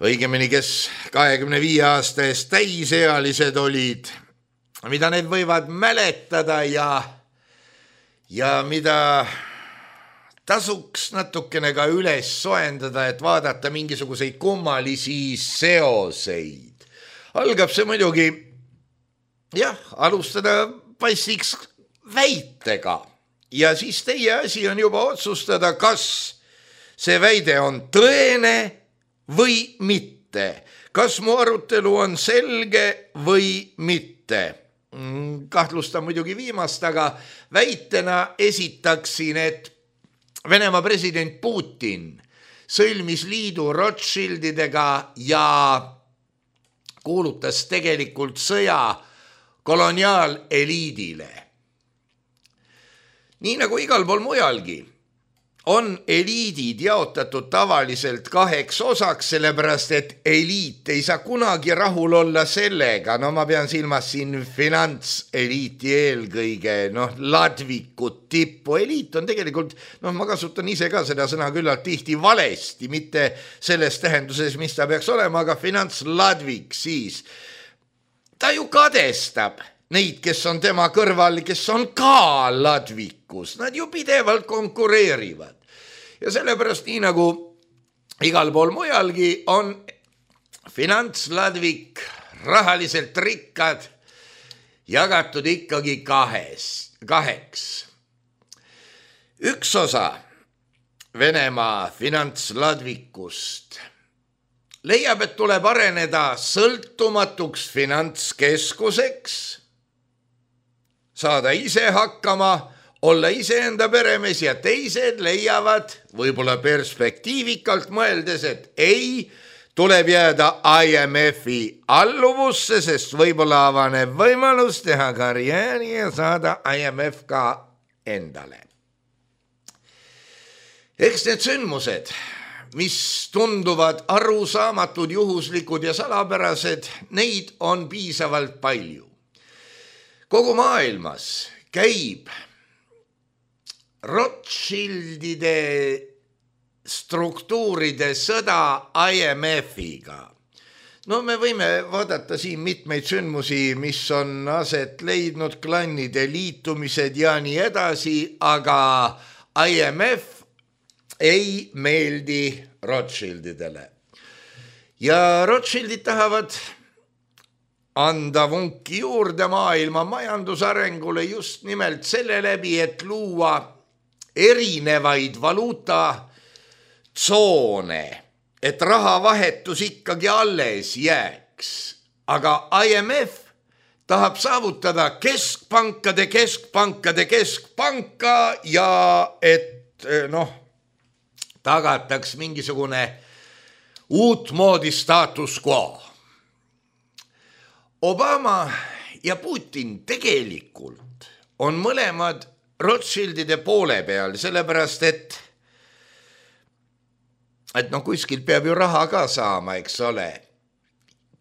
õigemini, kes kahekümne viie aasta eest täisealised olid, mida need võivad mäletada ja, ja mida tasuks natukene ka üles soendada, et vaadata mingisuguseid kummalisi seoseid. Algab see muidugi, jah, alustada passiks väitega ja siis teie asi on juba otsustada, kas see väide on tõene või mitte. Kas mu arutelu on selge või mitte? Kahtlustan muidugi viimast, aga väitena esitaksin, et Venemaa president Putin sõlmis liidu Rothschildidega ja kuulutas tegelikult sõja koloniaaleliidile. Nii nagu igal pool mujalgi on eliidid jaotatud tavaliselt kaheks osaks, sellepärast et eliit ei saa kunagi rahul olla sellega, no ma pean silmas siin finantseliiti eelkõige, noh, ladvikut, tippu. Eliit on tegelikult, noh, ma kasutan ise ka seda sõna küllalt tihti valesti, mitte selles tähenduses, mis ta peaks olema, aga finantsladvik siis. Ta ju kadestab neid, kes on tema kõrval, kes on ka ladvikus. Nad ju pidevalt konkureerivad. Ja sellepärast nii nagu igal pool mujalgi on finantsladvik, rahaliselt rikkad, jagatud ikkagi kahes, kaheks. Üks osa Venemaa finantsladvikust leiab, et tuleb areneda sõltumatuks finantskeskuseks, saada ise hakkama, olla iseenda peremees ja teised leiavad võib-olla perspektiivikalt mõeldes, et ei, tuleb jääda I M F-i alluvusse, sest võib-olla avaneb võimalus teha karjääri ja saada I M F ka endale. Eks need sündmused, mis tunduvad arusaamatud, juhuslikud ja salapärased, neid on piisavalt palju. Kogu maailmas käib Rothschildide struktuuride sõda I M F-iga. No me võime vaadata siin mitmeid sündmusi, mis on aset leidnud, klannide liitumised ja nii edasi, aga I M F ei meeldi Rothschildidele. Ja Rothschildid tahavad anda vunki juurde maailma majandusarengule just nimelt selle läbi, et luua erinevaid valuutatsoone, et rahavahetus ikkagi alles jääks. Aga I M F tahab saavutada keskpankade, keskpankade, keskpanka ja et noh, tagataks mingisugune uutmoodi status quo. Obama ja Putin tegelikult on mõlemad Rothschildide poole peal, sellepärast et et noh, kuskilt peab ju raha ka saama, eks ole.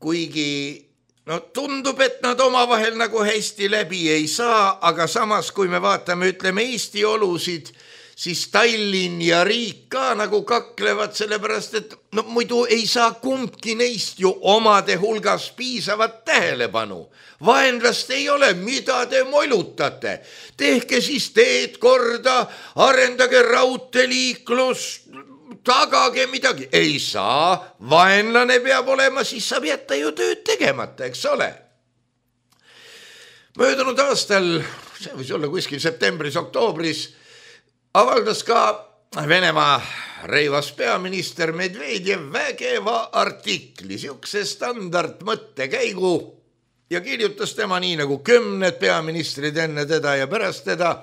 Kuigi no tundub, et nad omavahel nagu hästi läbi ei saa, aga samas kui me vaatame, ütleme Eesti olusid, siis Tallinn ja riik ka nagu kaklevad, sellepärast et no muidu ei saa kumbki neist ju omade hulgas piisavat tähelepanu. Vaenlast ei ole, mida te molutate. Tehke siis teed korda, arendage raudteeliiklus, tagage midagi. Ei saa, vaenlane peab olema, siis saab jätta ju tööd tegemata, eks ole. Möödunud aastal, see võis olla kuskil septembris, oktoobris, avaldas ka Venemaa reivas peaminister Medvedjev vägeva artikli, siukse standard mõttekäigu ja kirjutas tema nii nagu kümned peaministrid enne teda ja pärast teda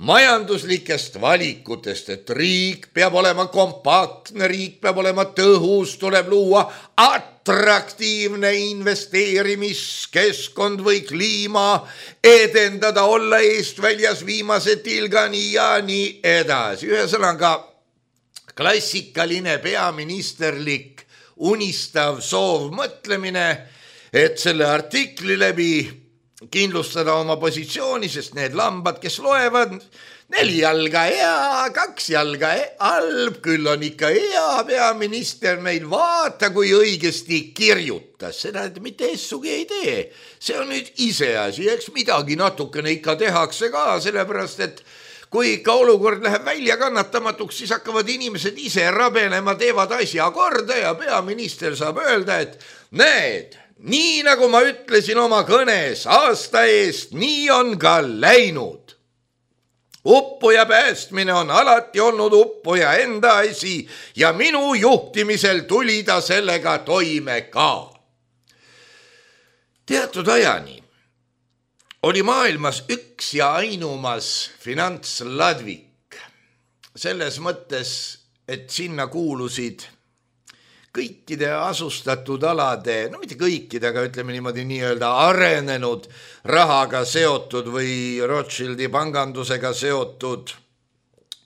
majanduslikest valikutest, et riik peab olema kompaktne, riik peab olema tõhus, tuleb luua atraktiivne investeerimiskeskkond või kliima, edendada, olla eestväljas viimase tilgani ja nii edasi. Ühesõnaga klassikaline peaministerlik unistav soov mõtlemine, et selle artikli läbi kindlustada oma positsiooni, sest need lambad, kes loevad, neli jalga hea, kaks jalga halb, küll on ikka hea peaminister meil, vaata kui õigesti kirjutas, seda mitte essugi ei tee. See on nüüd iseasi, eks midagi natukene ikka tehakse ka, sellepärast et kui ikka olukord läheb välja kannatamatuks, siis hakkavad inimesed ise rabenema, teevad asja korda ja peaminister saab öelda, et näed, nii nagu ma ütlesin oma kõnes aasta eest, nii on ka läinud. Uppuja päästmine on alati olnud uppuja enda asi ja minu juhtimisel tuli ta sellega toime ka. Teatud ajani oli maailmas üks ja ainumas finantsladvik. Selles mõttes, et sinna kuulusid kõikide asustatud alade, no mitte kõikide, aga ütleme niimoodi nii-öelda arenenud rahaga seotud või Rothschildi pangandusega seotud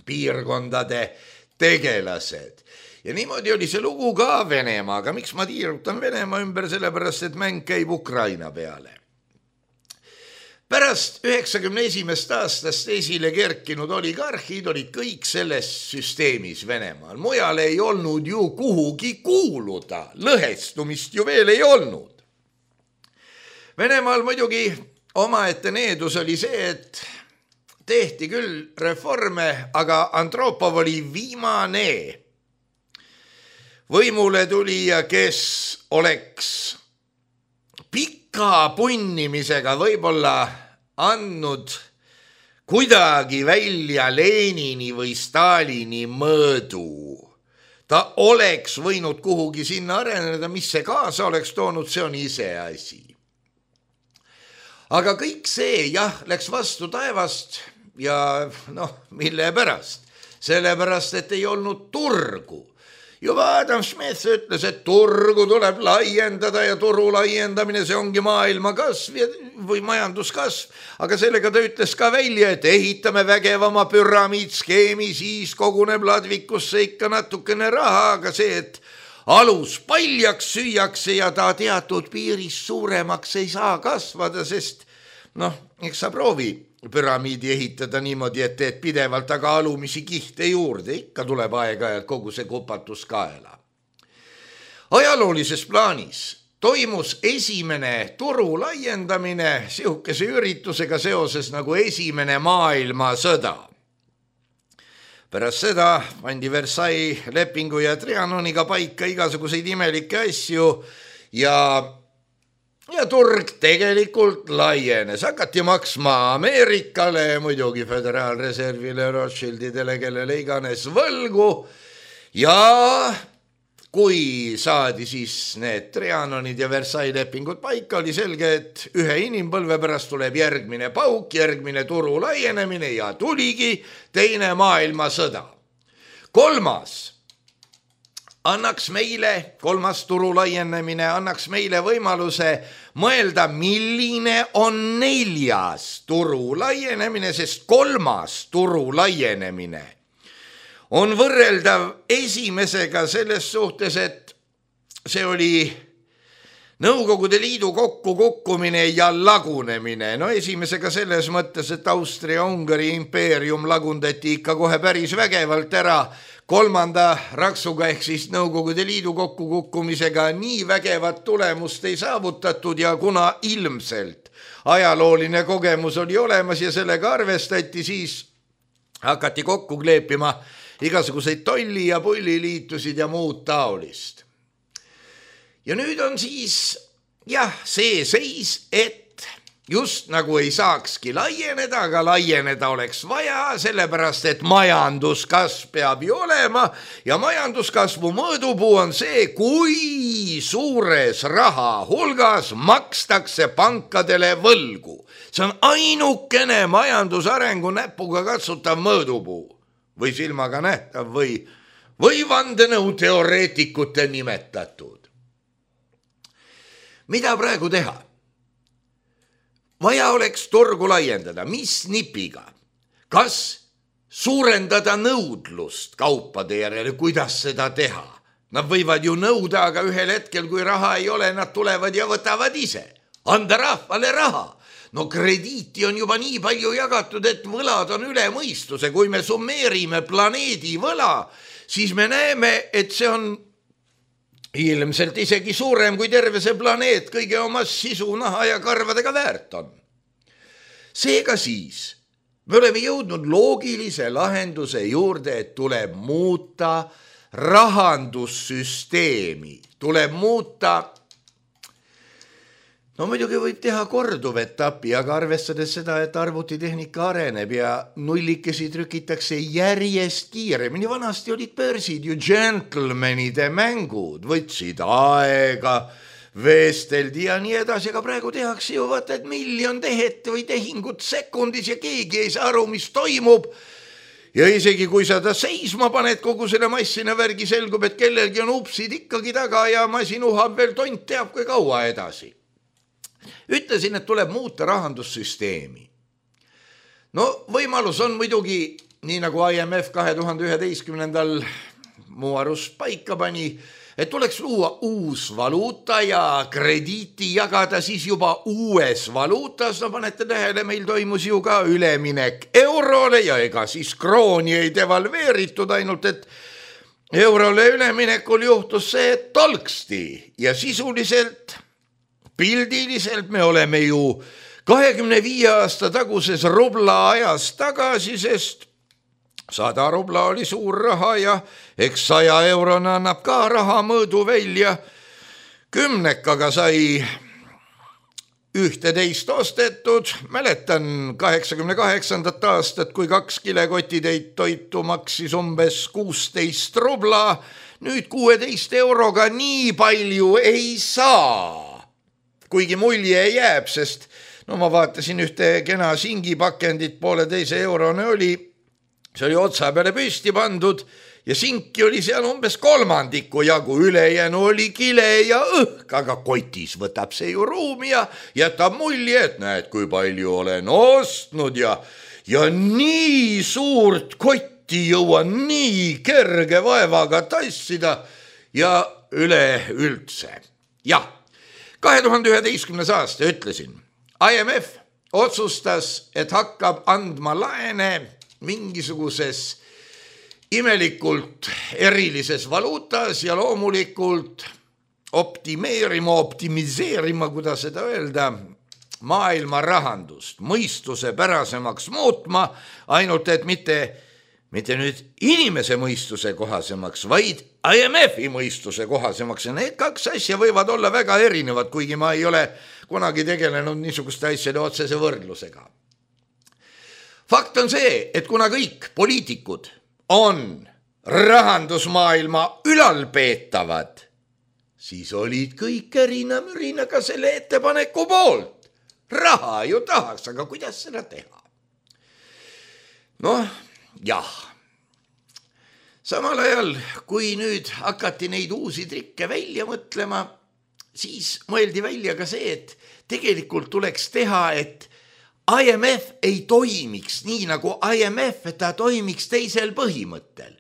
piirkondade tegelased. Ja niimoodi oli see lugu ka Venemaaga. Miks ma tiirutan Venemaa ümber? Sellepärast, et mäng käib Ukraina peale. Pärast üheksakümne esimest aastast esile kerkinud oligarhid olid kõik selles süsteemis Venemaal. Mujal ei olnud ju kuhugi kuuluda, lõhestumist ju veel ei olnud. Venemaal muidugi omaette needus oli see, et tehti küll reforme, aga Andropov oli viimane võimule tulija, kes oleks pika punnimisega võib-olla andnud kuidagi välja Lenini või Stalini mõõdu. Ta oleks võinud kuhugi sinna areneda, mis see kaasa oleks toonud, see on ise asi. Aga kõik see, jah, läks vastu taevast ja noh, mille pärast? Sellepärast, et ei olnud turgu. Juba Adam Smith ütles, et turgu tuleb laiendada ja turu laiendamine, see ongi maailma kasv või majanduskasv, aga sellega ta ütles ka välja, et ehitame vägevama püramiidskeemi, siis koguneb ladvikusse ikka natukene raha, aga see, et alus paljaks süüakse ja ta teatud piiris suuremaks ei saa kasvada, sest noh, eks sa proovi püramiidi ehitada niimoodi, et teed pidevalt aga alumisi kihte juurde, ikka tuleb aeg-ajalt kogu see kupatus kaela. Ajaloolises plaanis toimus esimene turu laiendamine sihukese üritusega seoses nagu esimene maailmasõda. Pärast seda pandi Versailles lepingu ja Trianoniga paika igasuguseid imelikke asju ja Ja turg tegelikult laienes, hakati maksma Ameerikale, muidugi Föderaalreservile, Rothschildidele, kellele iganes võlgu ja kui saadi siis need Trianonid ja Versailles lepingud paika, oli selge, et ühe inimpõlve pärast tuleb järgmine pauk, järgmine turu laienemine ja tuligi teine maailmasõda. Kolmas annaks meile, kolmas turu laienemine, annaks meile võimaluse mõelda, milline on neljas turu laienemine, sest kolmas turu laienemine on võrreldav esimesega selles suhtes, et see oli Nõukogude Liidu kokkukukkumine ja lagunemine. No esimesega selles mõttes, et Austria-Ungari impeerium lagundati ikka kohe päris vägevalt ära. Kolmanda raksuga ehk siis Nõukogude Liidu kokkukukkumisega nii vägevat tulemust ei saavutatud ja kuna ilmselt ajalooline kogemus oli olemas ja sellega arvestati, siis hakati kokku kleepima igasuguseid tolli- ja pulliliitusid ja muud taolist. Ja nüüd on siis jah, see seis, et just nagu ei saakski laieneda, aga laieneda oleks vaja, sellepärast et majanduskasv peab ju olema ja majanduskasvu mõõdupuu on see, kui suures raha hulgas makstakse pankadele võlgu. See on ainukene majandusarengu näpuga katsutav mõõdupuu või silmaga nähtav või, või vandenõu teoreetikute nimetatud. Mida praegu teha? Vaja oleks turgu laiendada, mis nipiga? Kas suurendada nõudlust kaupade järele, kuidas seda teha? Nad võivad ju nõuda, aga ühel hetkel, kui raha ei ole, nad tulevad ja võtavad ise. Anda rahvale raha. No krediiti on juba nii palju jagatud, et võlad on üle mõistuse. Kui me summeerime planeedi võla, siis me näeme, et see on ilmselt isegi suurem kui terve see planeet kõige oma sisu, naha ja karvadega väärt on. Seega siis me oleme jõudnud loogilise lahenduse juurde, et tuleb muuta rahandussüsteemi, tuleb muuta, no muidugi võib teha korduv etapi, aga arvestades seda, et arvutitehnika areneb ja nullikesi trükitakse järjest kiiremini. Vanasti olid börsid ju gentlemanide mängud, võtsid aega, veesteldi ja nii edasi, aga praegu tehakse ju vaata, et miljon tehet või tehingut sekundis ja keegi ei saa aru, mis toimub. Ja isegi kui sa ta seisma paned kogu selle massina värgi, selgub, et kellelgi on upsid ikkagi taga ja masin uhab veel tont teab kui kaua edasi. Ütlesin, et tuleb muuta rahandussüsteemi. No võimalus on muidugi, nii nagu I M F kahe tuhande üheteistkümnendal muu arust paika pani, et tuleks luua uus valuuta ja krediiti jagada siis juba uues valuutas. No panete tähele, meil toimus ju ka üleminek eurole ja ega siis krooni ei devalveeritud, ainult et eurole üleminekul juhtus see, et tolksti ja sisuliselt pildiliselt me oleme ju kahekümne viie aasta taguses rubla ajas tagasi, sest sada rubla oli suur raha ja eks saja eurona annab ka raha mõõdu välja. Kümnekaga sai ühteteist ostetud. Mäletan kaheksakümne kaheksandat aastat, kui kaks kilekotitäit toitu maksis umbes kuusteist rubla. Nüüd kuueteist euroga nii palju ei saa. Kuigi mulje jääb, sest no ma vaatasin ühte kena singipakendit, poole teise eurone oli, see oli otsa peale püsti pandud ja sinki oli seal umbes kolmandiku jagu, ülejäänu oli kile ja õhk, aga kotis võtab see ju ruumi ja jätab mulje, et näed, kui palju olen ostnud ja, ja nii suurt kotti jõuan nii kerge vaevaga tassida ja üle üldse. Jah. kahe tuhande üheteistkümnes aasta ütlesin, I M F otsustas, et hakkab andma laene mingisuguses imelikult erilises valuutas ja loomulikult optimeerima, optimiseerima, kuidas seda öelda, maailma rahandust, mõistuse pärasemaks muutma, ainult et mitte, mitte nüüd inimese mõistuse kohasemaks, vaid I M F-i mõistuse kohasemaks ja need kaks asja võivad olla väga erinevad, kuigi ma ei ole kunagi tegelenud niisuguste asjade otsese võrdlusega. Fakt on see, et kuna kõik poliitikud on rahandusmaailma ülalpeetavad, siis olid kõik erinamürina ka selle ettepaneku poolt. Raha ju tahaks, aga kuidas seda teha? Noh, jah. Samal ajal, kui nüüd hakati neid uusi trikke välja mõtlema, siis mõeldi välja ka see, et tegelikult tuleks teha, et I M F ei toimiks nii nagu I M F, et ta toimiks teisel põhimõttel.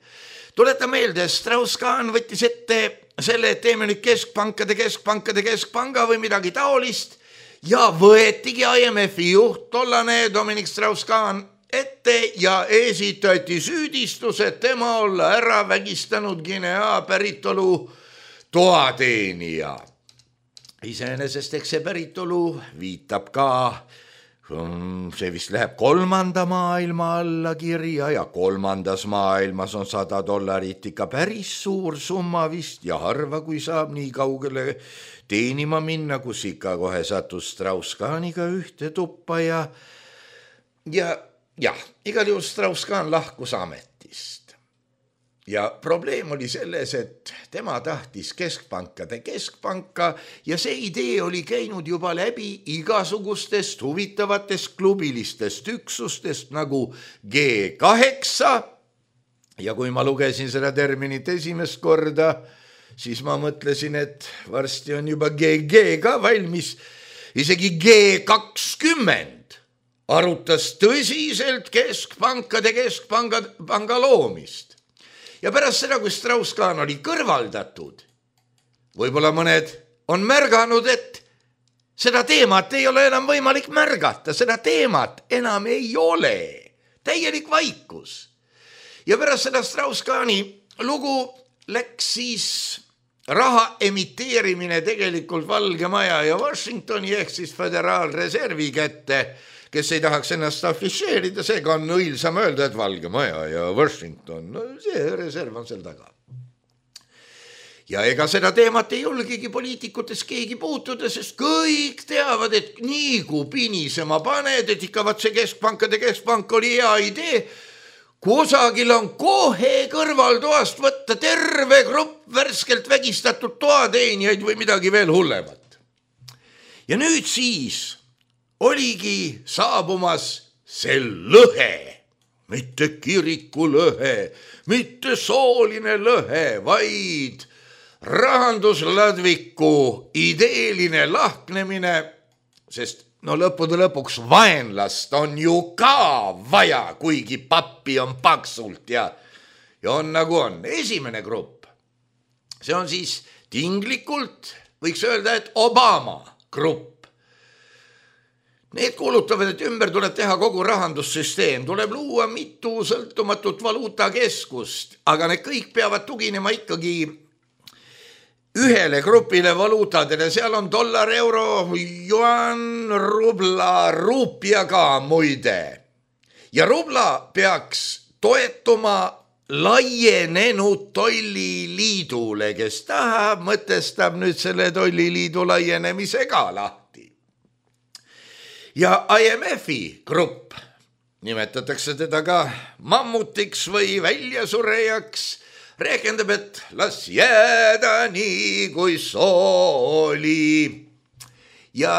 Tuleta meelde, Strauss-Kahn võttis ette selle, et teeme nüüd keskpankade, keskpankade, keskpanga või midagi taolist ja võetigi I M F-i juht, tollane Dominic Strauss-Kahn ette ja esitati süüdistus, et tema olla ära vägistanud Guinea päritolu toateenija. Iseenesest eks see päritolu viitab ka see vist läheb kolmanda maailma alla kirja ja kolmandas maailmas on sada dollarit ikka päris suur summa vist ja harva, kui saab nii kaugele teenima minna, kus ikka kohe satus Strauss-Kahniga ühte tuppa ja ja jah, igal juhul Strauss-Kahn lahkus ametist. Ja probleem oli selles, et tema tahtis keskpankade keskpanka ja see idee oli käinud juba läbi igasugustest huvitavatest klubilistest üksustest nagu G kaheksa. Ja kui ma lugesin seda terminit esimest korda, siis ma mõtlesin, et varsti on juba G G ka valmis. Isegi G kakskümmend arutas tõsiselt keskpankade keskpanga panga loomist. Ja pärast seda, kui Strauss-Kahn oli kõrvaldatud, võib-olla mõned on märganud, et seda teemat ei ole enam võimalik märgata, seda teemat enam ei ole, täielik vaikus. Ja pärast seda Strauss-Kahni lugu läks siis raha emiteerimine tegelikult Valge Maja ja Washingtoni ehk siis Föderaalreservi kätte, kes ei tahaks ennast afišeerida, seega on õilsam öelda, et Valge Maja ja Washington, no see reserv on seal taga. Ja ega seda teemat ei julgegi poliitikutes keegi puutuda, sest kõik teavad, et nii kui pinisema paned, et ikka vaat see keskpankade keskpank oli hea idee, kusagil on kohe kõrvaltoast võtta terve grupp värskelt vägistatud toateenijaid või midagi veel hullemat. Ja nüüd siis oligi saabumas see lõhe, mitte kiriku lõhe, mitte sooline lõhe, vaid rahandusladviku ideeline lahknemine, sest no lõppude lõpuks vaenlast on ju ka vaja, kuigi pappi on paksult ja, ja on nagu on. Esimene grupp, see on siis tinglikult, võiks öelda, et Obama grupp. Need kuulutavad, et ümber tuleb teha kogu rahandussüsteem, tuleb luua mitu sõltumatut valuutakeskust, aga need kõik peavad tuginema ikkagi ühele grupile valuutadele, seal on dollar, euro, juan, rubla, ruupia ka muide. Ja rubla peaks toetuma laienenud tolliliidule, kes tahab, mõtestab nüüd selle tolliliidu laienemise ka lahti. Ja I M F-i grupp, nimetatakse teda ka mammutiks või väljasurejaks, rääkendab, et las jääda nii kui sooli. Ja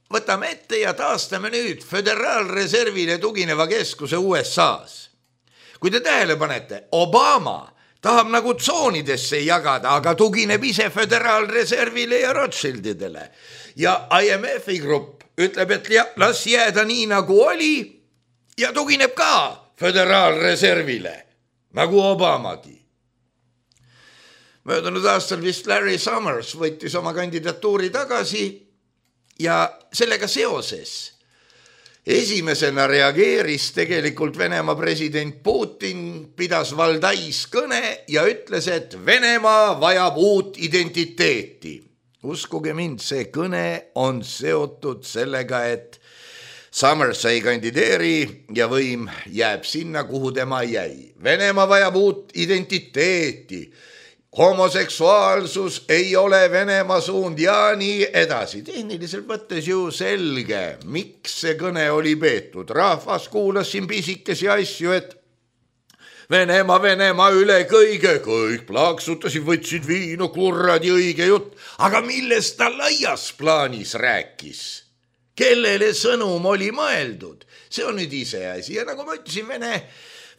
võtame ette ja taastame nüüd Föderaalreservile tugineva keskuse U S A-s. Kui te tähele panete, Obama tahab nagu tsoonidesse jagada, aga tugineb ise Föderaalreservile ja Rothschildidele. Ja I M F-i grupp ütleb, et las jääda nii nagu oli ja tugineb ka Föderaalreservile, nagu Obamagi. Möödunud aastal vist Larry Summers võttis oma kandidatuuri tagasi ja sellega seoses esimesena reageeris tegelikult Venemaa president Putin, pidas valdais kõne ja ütles, et Venemaa vajab uut identiteeti. Uskuge mind, see kõne on seotud sellega, et Summers ei kandideeri ja võim jääb sinna, kuhu tema jäi. Venemaa vajab uut identiteeti. Homoseksuaalsus ei ole Venemaa suund ja nii edasi. Tehniliselt võttes ju selge, miks see kõne oli peetud. Rahvas kuulas siin pisikesi asju, et Venemaa, Venemaa üle kõige, kõik plaaksutasid, võtsid viinu, kurradi õige jutt. Aga millest ta laias plaanis rääkis? Kellele sõnum oli mõeldud? See on nüüd ise asi. Ja nagu ma ütlesin, Vene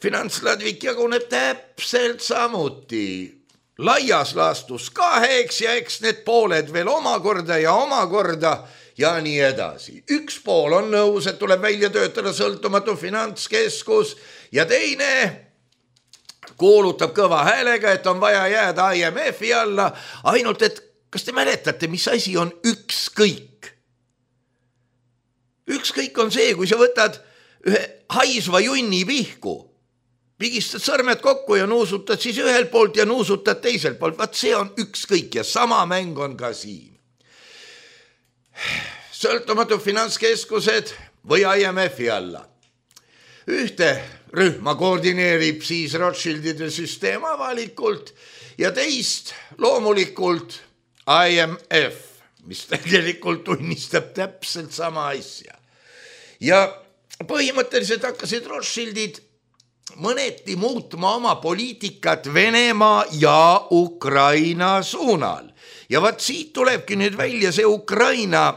finantsladvik jaguneb täpselt samuti. Laias laastus kaheks ja eks need pooled veel omakorda ja omakorda ja nii edasi. Üks pool on nõus, et tuleb välja töötada sõltumatu finantskeskus ja teine kuulutab kõva häälega, et on vaja jääda I M F-i alla, ainult et kas te mäletate, mis asi on ükskõik? Ükskõik on see, kui sa võtad ühe haisva junni pihku, pigistad sõrmed kokku ja nuusutad siis ühelt poolt ja nuusutad teiselt poolt, vaat see on ükskõik ja sama mäng on ka siin. Sõltumatu finantskeskused või I M F-i alla. Ühte rühma koordineerib siis Rothschildide süsteem avalikult ja teist loomulikult I M F, mis tegelikult tunnistab täpselt sama asja. Ja põhimõtteliselt hakkasid Rothschildid mõneti muutma oma poliitikat Venemaa ja Ukraina suunal. Ja vaat siit tulebki nüüd välja see Ukraina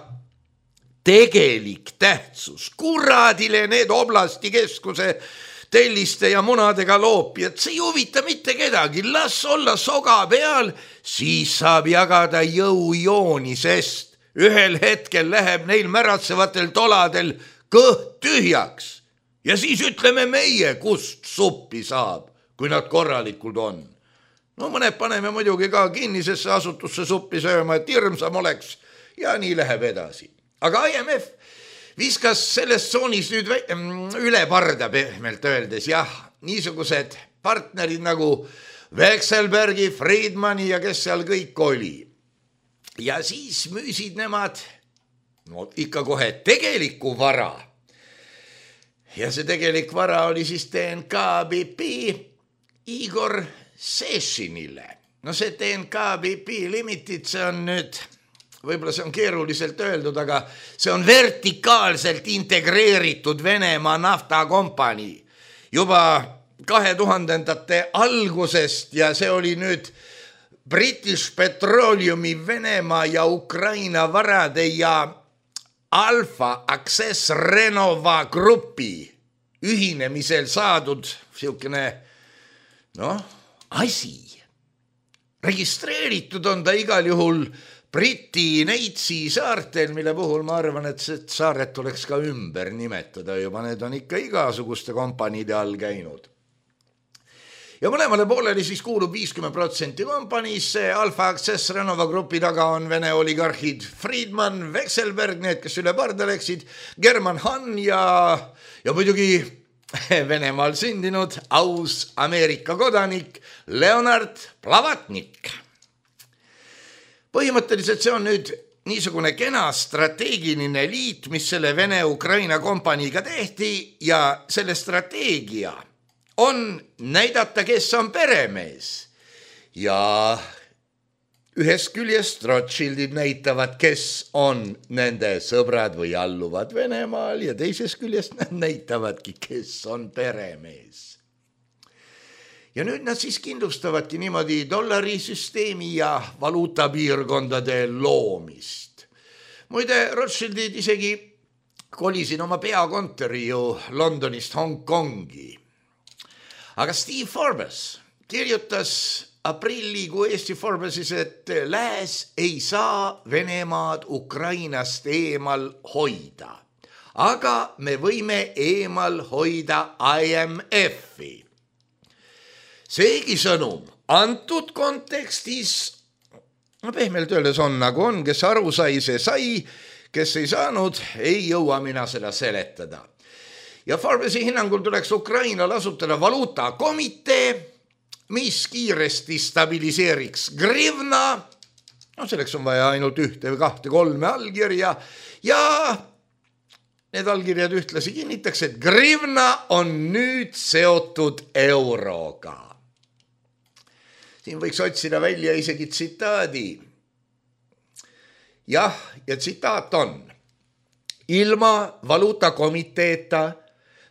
tegelik tähtsus. Kuradile need oblasti keskuse telliste ja munadega loopijad, see ei huvita mitte kedagi, las olla soga peal, siis saab jagada jõujooni, sest ühel hetkel läheb neil märatsevatel toladel kõht tühjaks ja siis ütleme meie, kust suppi saab, kui nad korralikud on. No mõned paneme muidugi ka kinnisesse asutusse suppi sööma, et hirmsam oleks ja nii läheb edasi. Aga I M F viskas selles tsoonis nüüd üle parda pehmelt öeldes, jah, niisugused partnerid nagu Vekselbergi, Friedmani ja kes seal kõik oli. Ja siis müüsid nemad no, ikka kohe tegeliku vara. Ja see tegelik vara oli siis T N K B P Igor Sešinile. No see T N K B P Limited, see on nüüd, võib-olla see on keeruliselt öeldud, aga see on vertikaalselt integreeritud Venemaa naftakompanii juba kahe tuhandendate algusest ja see oli nüüd British Petroleumi Venemaa ja Ukraina varade ja Alfa Access Renova grupi ühinemisel saadud siukene noh, asi. Registreeritud on ta igal juhul Briti Neitsi saartel, mille puhul ma arvan, et see saaret tuleks ka ümber nimetada juba, need on ikka igasuguste kompaniide all käinud. Ja mõlemale pooleli siis kuulub viiskümmend protsenti kompaniisse, Alfa Access Renova grupi taga on Vene oligarhid Friedman, Vekselberg, need, kes üle parda läksid, German Hahn ja, ja muidugi Venemaal sündinud aus Ameerika kodanik Leonard Plavatnik. Põhimõtteliselt see on nüüd niisugune kena strateegiline liit, mis selle Vene-Ukraina kompaniiga tehti ja selle strateegia on näidata, kes on peremees. Ja ühest küljest Rothschildid näitavad, kes on nende sõbrad või alluvad Venemaal ja teisest küljest nad näitavadki, kes on peremees. Ja nüüd nad siis kindlustavadki niimoodi dollarisüsteemi ja valuutapiirkondade loomist. Muide, Rothschildid isegi kolisid oma peakontori ju Londonist Hongkongi. Aga Steve Forbes kirjutas aprillikuu Eesti Forbesis, et lääs ei saa Venemaad Ukrainast eemal hoida, aga me võime eemal hoida I M F-i. Seegi sõnum antud kontekstis, no pehmelt öeldes on nagu on, kes aru sai, see sai, kes ei saanud, ei jõua mina seda seletada. Ja Forbesi hinnangul tuleks Ukrainal asutada valuutakomitee, mis kiiresti stabiliseeriks grivna, no selleks on vaja ainult ühte või kahte kolme allkirja ja need allkirjad ühtlasi kinnitaks, et grivna on nüüd seotud euroga. Siin võiks otsida välja isegi tsitaadi. Jah, ja tsitaat on: ilma valuutakomiteeta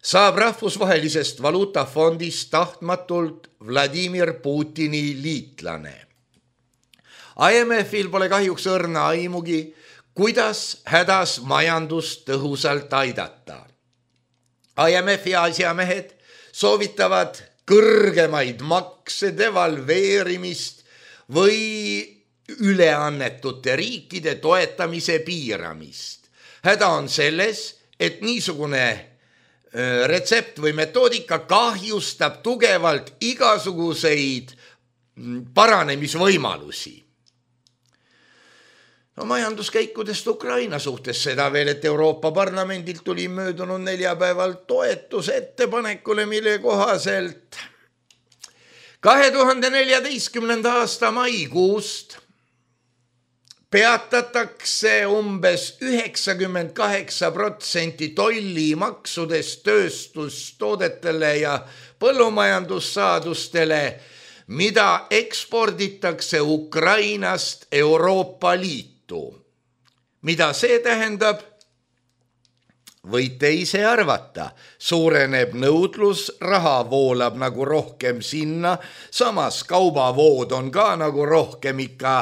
saab rahvusvahelisest valuutafondist tahtmatult Vladimir Putini liitlane. I M F-il pole kahjuks õrna aimugi, kuidas hädas majandust tõhusalt aidata. I M F-i asjamehed soovitavad kõrgemaid makse, devalveerimist või üleannetute riikide toetamise piiramist. Häda on selles, et niisugune retsept või metoodika kahjustab tugevalt igasuguseid paranemisvõimalusi. No majanduskäikudest Ukraina suhtes seda veel, et Euroopa Parlamendilt tuli möödunud neljapäeval toetus ettepanekule, mille kohaselt kahe tuhande neljateistkümnenda aasta maikuust peatatakse umbes üheksakümmend kaheksa protsenti tollimaksudest tööstustoodetele ja põllumajandussaadustele, mida eksporditakse Ukrainast Euroopa Liitu. Mida see tähendab? Võite ise arvata, suureneb nõudlus, raha voolab nagu rohkem sinna, samas kaubavood on ka nagu rohkem ikka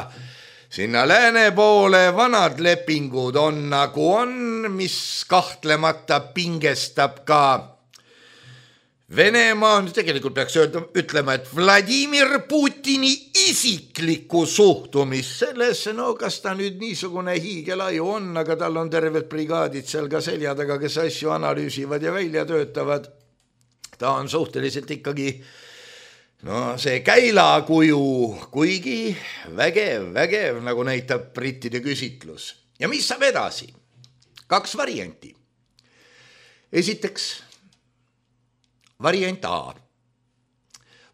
sinna lääne poole, vanad lepingud on nagu on, mis kahtlemata pingestab ka Venemaa, tegelikult peaks öelda, ütlema, et Vladimir Putini isiklikku suhtumist sellesse, no kas ta nüüd niisugune hiigelaju on, aga tal on terved brigaadid seal ka selja taga, kes asju analüüsivad ja välja töötavad. Ta on suhteliselt ikkagi no see käilakuju, kuigi vägev, vägev, nagu näitab brittide küsitlus. Ja mis saab edasi? Kaks varianti. Esiteks variant A.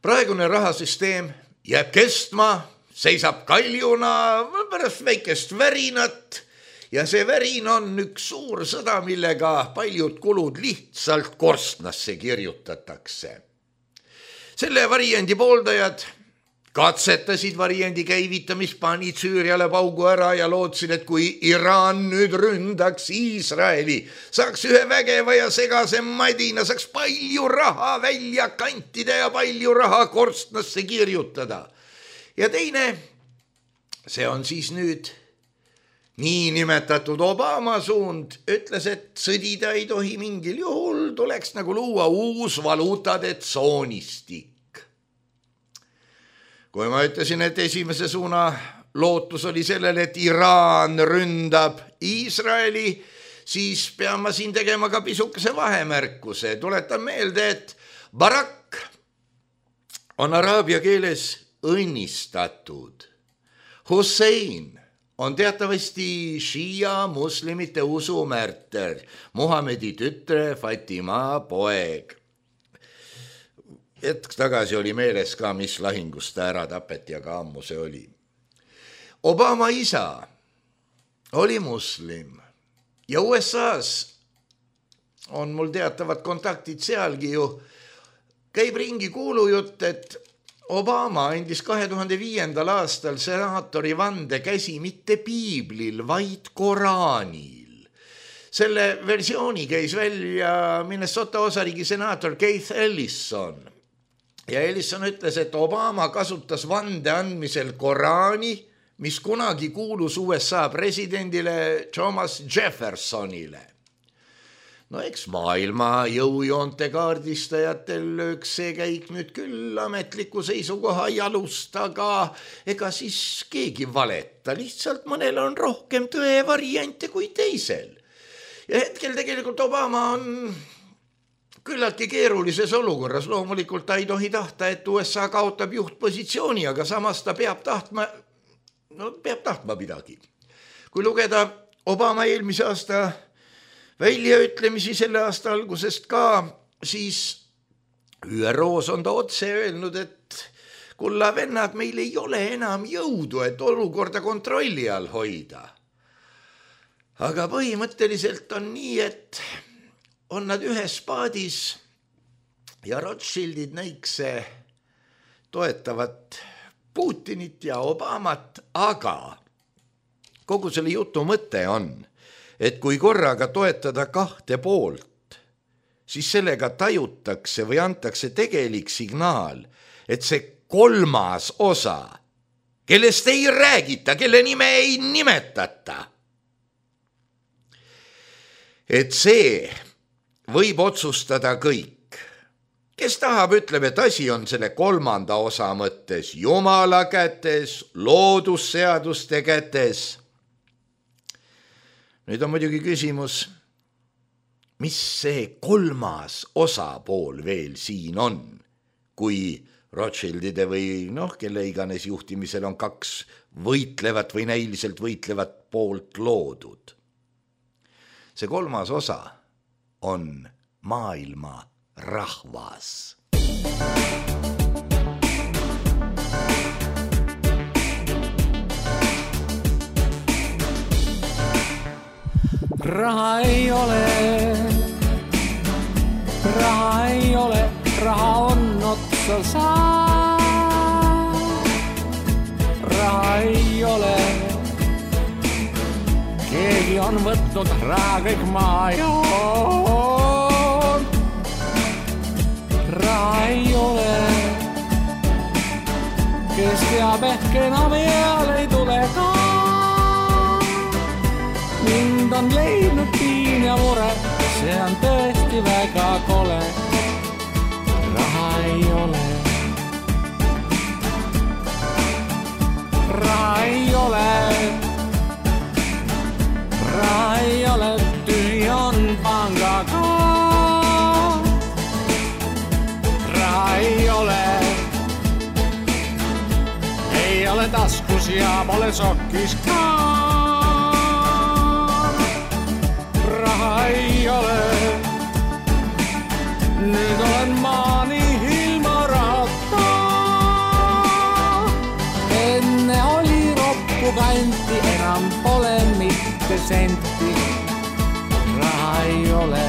Praegune rahasüsteem jääb kestma, seisab kaljuna pärast väikest värinat ja see värin on üks suur sõda, millega paljud kulud lihtsalt korstnasse kirjutatakse. Selle variandi pooldajad katsetasid variandi käivitamist, panid Süüriale paugu ära ja lootsid, et kui Iraan nüüd ründaks Iisraeli, saaks ühe vägeva ja segase madina, saaks palju raha välja kantida ja palju raha korstnasse kirjutada. Ja teine, see on siis nüüd niinimetatud Obama suund, ütles, et sõdida ei tohi mingil juhul, tuleks nagu luua uus valuutade tsoonistik. Kui ma ütlesin, et esimese suuna lootus oli sellele, et Iraan ründab Iisraeli, siis pean ma siin tegema ka pisukese vahemärkuse. Tuletan meelde, et Barak on araabia keeles õnnistatud. Hussein on teatavasti šiia muslimite usumärter, Muhamedi tütre Fatima poeg. Hetk tagasi oli meeles ka, mis lahingust ta ära tapeti, aga ammu see oli. Obama isa oli muslim ja U S A-s on mul teatavad kontaktid sealgi ju. Käib ringi kuulujutt, et Obama andis kahe tuhande viiendal aastal senaatori vande käsi mitte piiblil, vaid Koraanil. Selle versiooni käis välja Minnesota osariigi senaator Keith Ellison. Ja Ellison ütles, et Obama kasutas vande andmisel Koraani, mis kunagi kuulus U S A presidendile Thomas Jeffersonile. No eks maailma jõujoonte kaardistajatel lööks see käik nüüd küll ametliku seisukoha jalust, aga ega siis keegi valeta, lihtsalt mõnel on rohkem tõe variante kui teisel. Ja hetkel tegelikult Obama on küllaltki keerulises olukorras, loomulikult ta ei tohi tahta, et U S A kaotab juhtpositsiooni, aga samas ta peab tahtma, no peab tahtma midagi. Kui lugeda Obama eelmise aasta väljaütlemisi selle aasta algusest ka, siis Ü R O-s on ta otse öelnud, et kulla vennad, meil ei ole enam jõudu, et olukorda kontrolli all hoida. Aga põhimõtteliselt on nii, et on nad ühes paadis ja Rothschildid näikse toetavad Putinit ja Obamat, aga kogu selle jutu mõte on, et kui korraga toetada kahte poolt, siis sellega tajutakse või antakse tegelik signaal, et see kolmas osa, kellest ei räägita, kelle nime ei nimetata, et see võib otsustada kõik. Kes tahab, ütleb, et asi on selle kolmanda osa mõttes Jumala kätes, loodusseaduste kätes. Nüüd on muidugi küsimus, mis see kolmas osapool veel siin on, kui Rothschildide või noh, kelle iganes juhtimisel on kaks võitlevat või näiliselt võitlevat poolt loodud. See kolmas osa on maailma rahvas. Raha ei ole, raha ei ole, raha on otsa saa. Raha ei ole, keegi on võtnud raha kõik maa joon. Raha ei ole, kes teab ehk enam eal ei tule ka. Mind on leidnud piin ja mure, see on tõesti väga kole. Raha ei ole, raha ei ole, raha ei ole, tühi on panga ka. Raha ei ole, ei ole taskus ja pole sokkis ka. Raha ei ole, nüüd olen maani ilma rahata. Enne oli roppu kanti, enam pole mitte senti. Raha ei ole.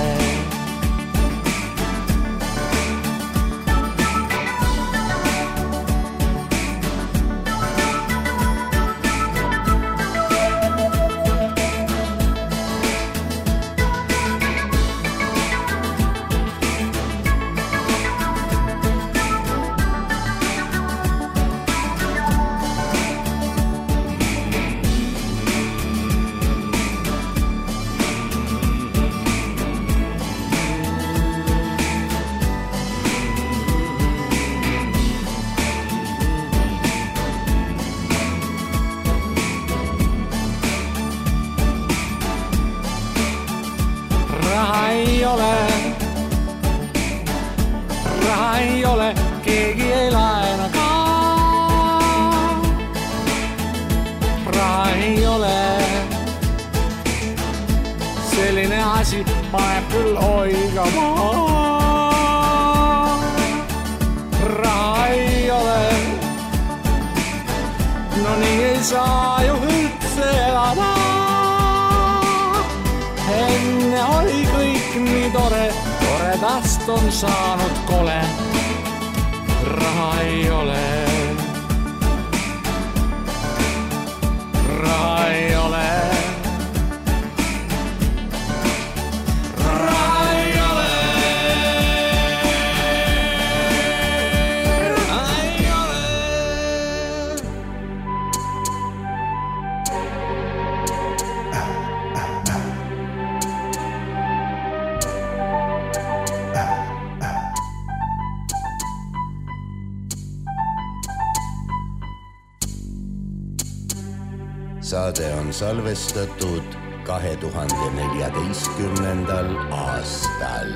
Raha ei ole, raha ei ole, keegi ei laena ka. Raha ei ole, selline asi paneb küll oigama. Raha ei ole, no nii ei saa ju üldse elada. Enne oli kõik nii tore, toredast on saanud kole. Raha ei ole, raha ei ole, raha ei ole, raha ei ole. Saade on salvestatud kahe tuhande neljateistkümnendal aastal.